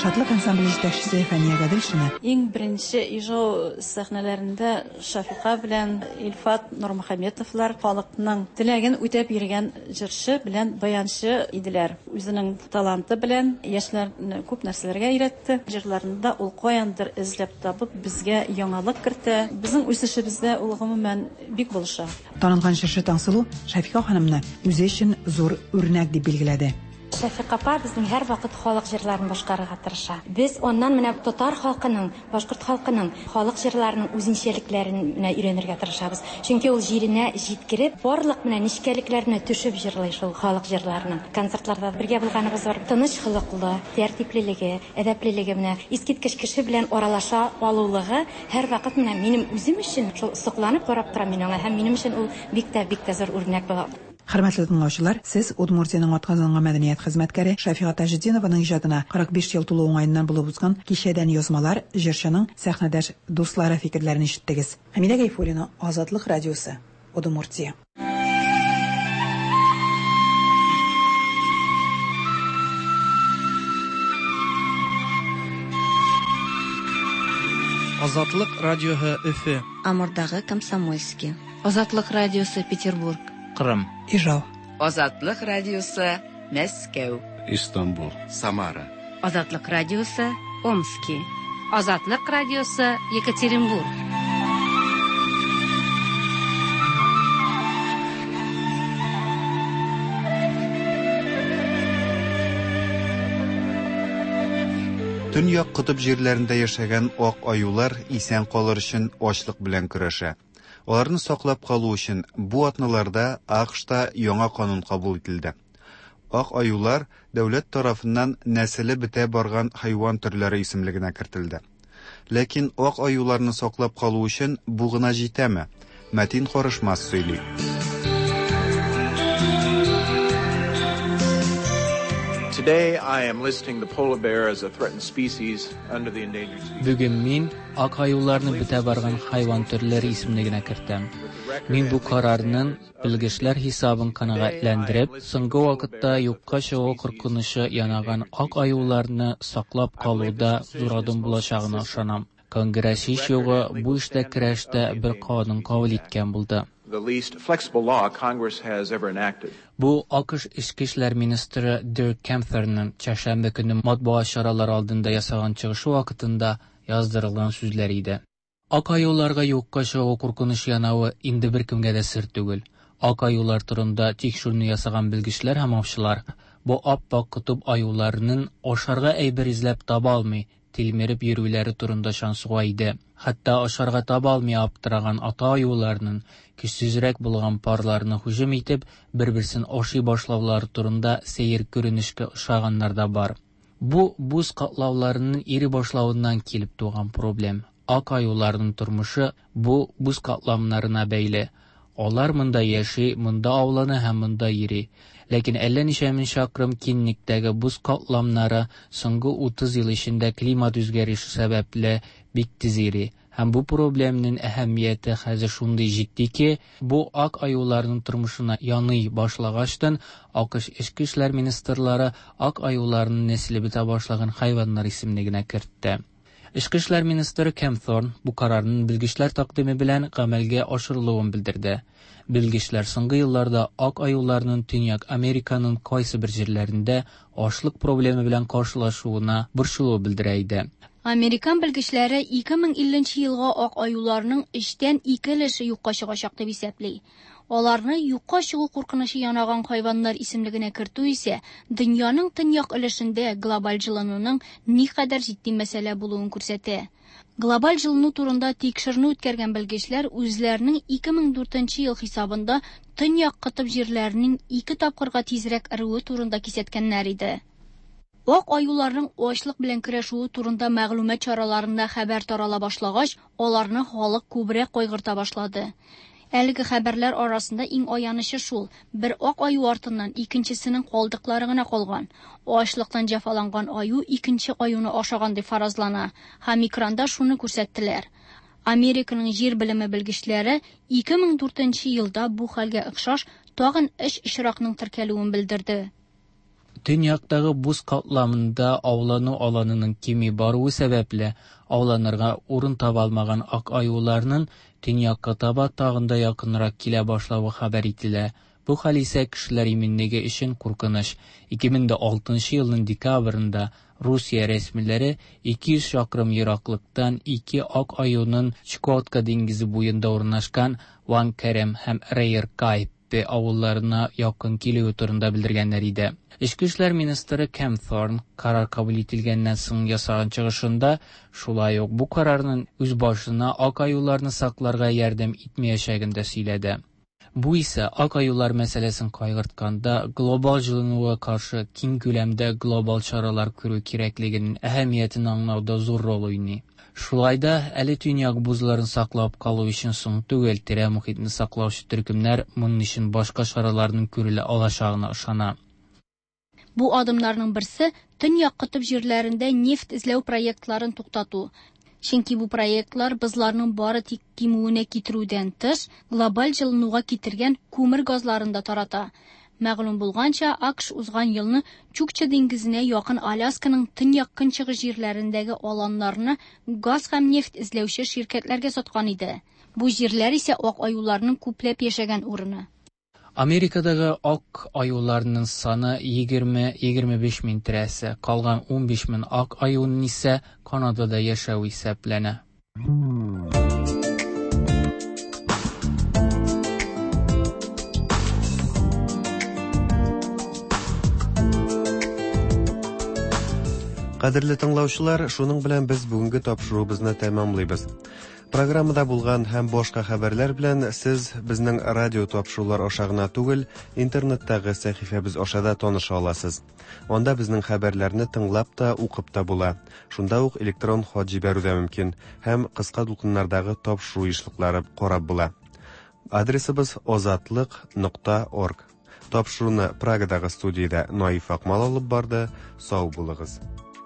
Шатлык ансамбле җитәкчесе Фәния Гаделшина. Иң беренче Ижау сәхнәләрендә Шафика белән Илфат Нурмөхәммәтовлар халыкның теләген үтәп йөргән җырчы белән баянчы иделәр. Үзенең таланты белән яшьләрне күп нәрсәләргә өйрәтте. Җырларында ул каяндыр эзләп табып безгә яңалык кертә. Безнең үсешебездә ул гомумән бик булыша. Танылган җырчы Таңсылу Шафика ханымны үзе өчен зур үрнәк дип билгеләде. Шәфикъ апа безнең һәрвакыт халык җырларын башкарырга тырыша. Без аннан менә татар халкының, башкорт халкының халык җырларының үзенчәлекләрен менә өйрәнергә тырышабыз. Чөнки ул җиренә җиткереп, барлык менә нечкәлекләренә төшеп җырлый шул халык җырларының. Концертларда бергә булганыбыз бар. Тыныч холыклы, тәртиплелеге, әдәплелеге менә искиткеч кеше белән аралаша алулыгы һәрвакыт менә минем үзем өчен шул сокланып карап торам мин аңа һәм минем өчен ул бик тә, бик тә зур үрнәк була. Хөрмәтле тыңлаучылар, сез Удмуртиянең атказанган мәдәният хезмәткәре Шәфига Таҗетдинованың иҗатына 45 ел тулу уңаеннан булып узган кичәдән язмалар, җырчының сәхнәдәш дуслары фикерләрен ишеттегез. Хәмидә Гайфуллина, Азатлык радиосы, Удмуртия. Азатлык радиоһы Өфе. Амурдагы Комсомольски. Азатлык радиосы Петербург. Кырым. Ижау. Азатлык радиосы Мәскәү. Истанбул. Самара. Азатлык радиосы Омски. Азатлык радиосы Екатеринбург. Төньяк котып җирләрендә яшәгән ак аюлар исән калыр өчен ачлык белән көрәшә. Аларны саклап калу өчен бу атналарда АКШта яңа канун кабул ителде. Ак аюлар дәүләт тарафыннан нәселе бетә барган хайван төрләре исемлегенә кертелде. Ләкин ак аюларны саклап калу өчен бу гына җитәме? Мәтин Карышмас сөйли. Today I am listing the polar bear as a threatened species under the endangered species. Бүген мин ак аюларны бетә барган хайван төрләре исемлегенә кертәм. Мин бу карарның белгечләр хисабын канәгатьләндереп, соңгы вакытта юкка чыгу куркынычы янаган ак аюларны саклап калуда зур адым булачагына ышанам. Конгресс һич югы бу эштә көрәштә бер канун кабул иткән булды. The least flexible law Congress has ever enacted. Бу АКШ эчке эшләр министры Дирк Кемферның чәршәмбе көнне матбугат чаралары алдында ясаган чыгышы вакытында яздырылган сүзләр иде. Ак аюларга юкка чыгу куркынычы янавы инде беркемгә дә сер түгел. Ак аюлар турында тикшеренү ясаган белгечләр һәм аучылар бу ап-ак котып аюларының ашарга әйбер эзләп таба алмый тилмереп йөрүләре турында шансуга иде. Хәтта ашарга таба алмый аптыраган ата аюларның көчсезрәк булган парларына һөҗүм итеп, бер-берсен ашый башлаулары турында сәер күренешкә ошаганнар да бар. Бу боз катлауларының эри башлавыннан килеп туган проблем. Ак аюларның тормышы бу боз катламнарына бәйле. Алар монда яши, монда аулана һәм монда йөри. Ләкин әллә ничә мең чакрым киңлектәге боз катламнары соңгы 30 ел эчендә климат үзгәреше сәбәпле бик тиз эри. Һәм бу проблемның әһәмияте хәзер шундый җитди ки, бу ак аюларның тормышына яный башлагачтан, АКШ эчке эшләр министрлары ак аюларның нәселе бетә башлаган хайваннар исемлегенә кертте. Эчке эшләр министры Кемп Торн бу карарның белгечләр тәкъдиме белән гамәлгә ашырылуын белдерде. Белгечләр соңгы елларда ак аюларның Төньяк Американың кайсы бер җирләрендә ачлык проблемы белән каршылашуына борчылу белдерә иде. Американ белгечләре 2050 елга ак аюларның өчтән ике өлеше юкка чыгачак дип исәпли. Аларны юкка чыгу куркынычы янаган хайваннар исемлегенә кертү исә дөньяның төньяк өлешендә глобаль җылынуның никадәр җитди мәсьәлә булуын күрсәтә. Глобаль җылыну турында тикшеренү үткәргән белгечләр үзләренең 2004 ел хисабында төньяк котып җирләренең ике тапкырга тизрәк эрүе турында кисәткәннәр иде. Ак аюларның ачлык белән көрәшүе турында мәгълүмат чараларында хәбәр тарала башлагач, аларны халык күбрәк кайгырта башлады. Әлеге хәбәрләр арасында иң аянычы шул: бер ак аю артыннан икенчесенең калдыклары гына калган. Ачлыктан җәфаланган аю икенче аюны ашаган дип фаразлана, һәм экранда шуны күрсәттеләр. Американың җир белеме белгечләре 2004 елда бу хәлгә охшаш тагын өч очракның теркәлүен белдерде. Төньяктагы боз катламында аулану аланының кими баруы сәбәпле, ауланырга урын таба алмаган ак аюларның төньякка таба тагын да якынрак килә башлавы хәбәр ителә. Бу хәл исә кешеләр иминлеге өчен куркыныч. 2006 елның декабрендә Русия рәсмиләре 200 чакрым ераклыктан ике ак аюның Чукотка диңгезе буенда урнашкан Ванкерем һәм Рейер Кай Тепе авылларына якын килүе турында белдергәннәр иде. Эчке эшләр министры Кемпторн карар кабул ителгәннән соң ясаган чыгышында шулай ук бу карарның үз башына ак аюларны сакларга ярдәм итмәячәген дә сөйләде. Бу исә ак аюлар мәсьәләсен кайгыртканда глобаль җылынуга каршы киң күләмдә глобаль чаралар күрү кирәклегенең әһәмиятен аңлауда зур роль уйный. Шулай да әле төньяк бозларын саклап калу өчен соң түгел, тирә мохитне саклаучы төркемнәр моның өчен башка чараларның күрелә алачагына ышана. Бу адымнарның берсе Төньяк котып җирләрендә нефть эзләү проектларын туктату. Чөнки бу проектлар бозларның бары тик кимүенә китерүдән тыш, глобаль җылынуга китергән күмер газларын да тарата. Мәгълүм булганча, АКШ узган елны Чукча диңгезенә якын Алясканың төньяк-көнчыгыш җирләрендәге аланнарны газ һәм нефть эзләүче ширкәтләргә саткан иде. Бу җирләр исә ак аюларның күпләп яшәгән урыны. Америкадагы ак аюларның саны 20-25 мең тирәсе, калган 15 мең ак аюның исә Канадада яшәве исәпләнә. Кадерле тыңлаучылар, шуның белән без бүгенге тапшыруыбызны тәмамлыйбыз. Программада булган һәм башка хәбәрләр белән сез безнең радио тапшырулар аша гына түгел, интернеттагы сәхифәбез аша да таныша аласыз. Анда безнең хәбәрләрне тыңлап та, укып та була. Шунда ук электрон хат җибәрү дә мөмкин һәм кыска дулкыннардагы тапшыру ешлыклары карап була. Адресыбыз озатлык нокта орг. Тапшыруны Прагадагы студиядә Наиф Акмал алып барды. Сау булыгыз.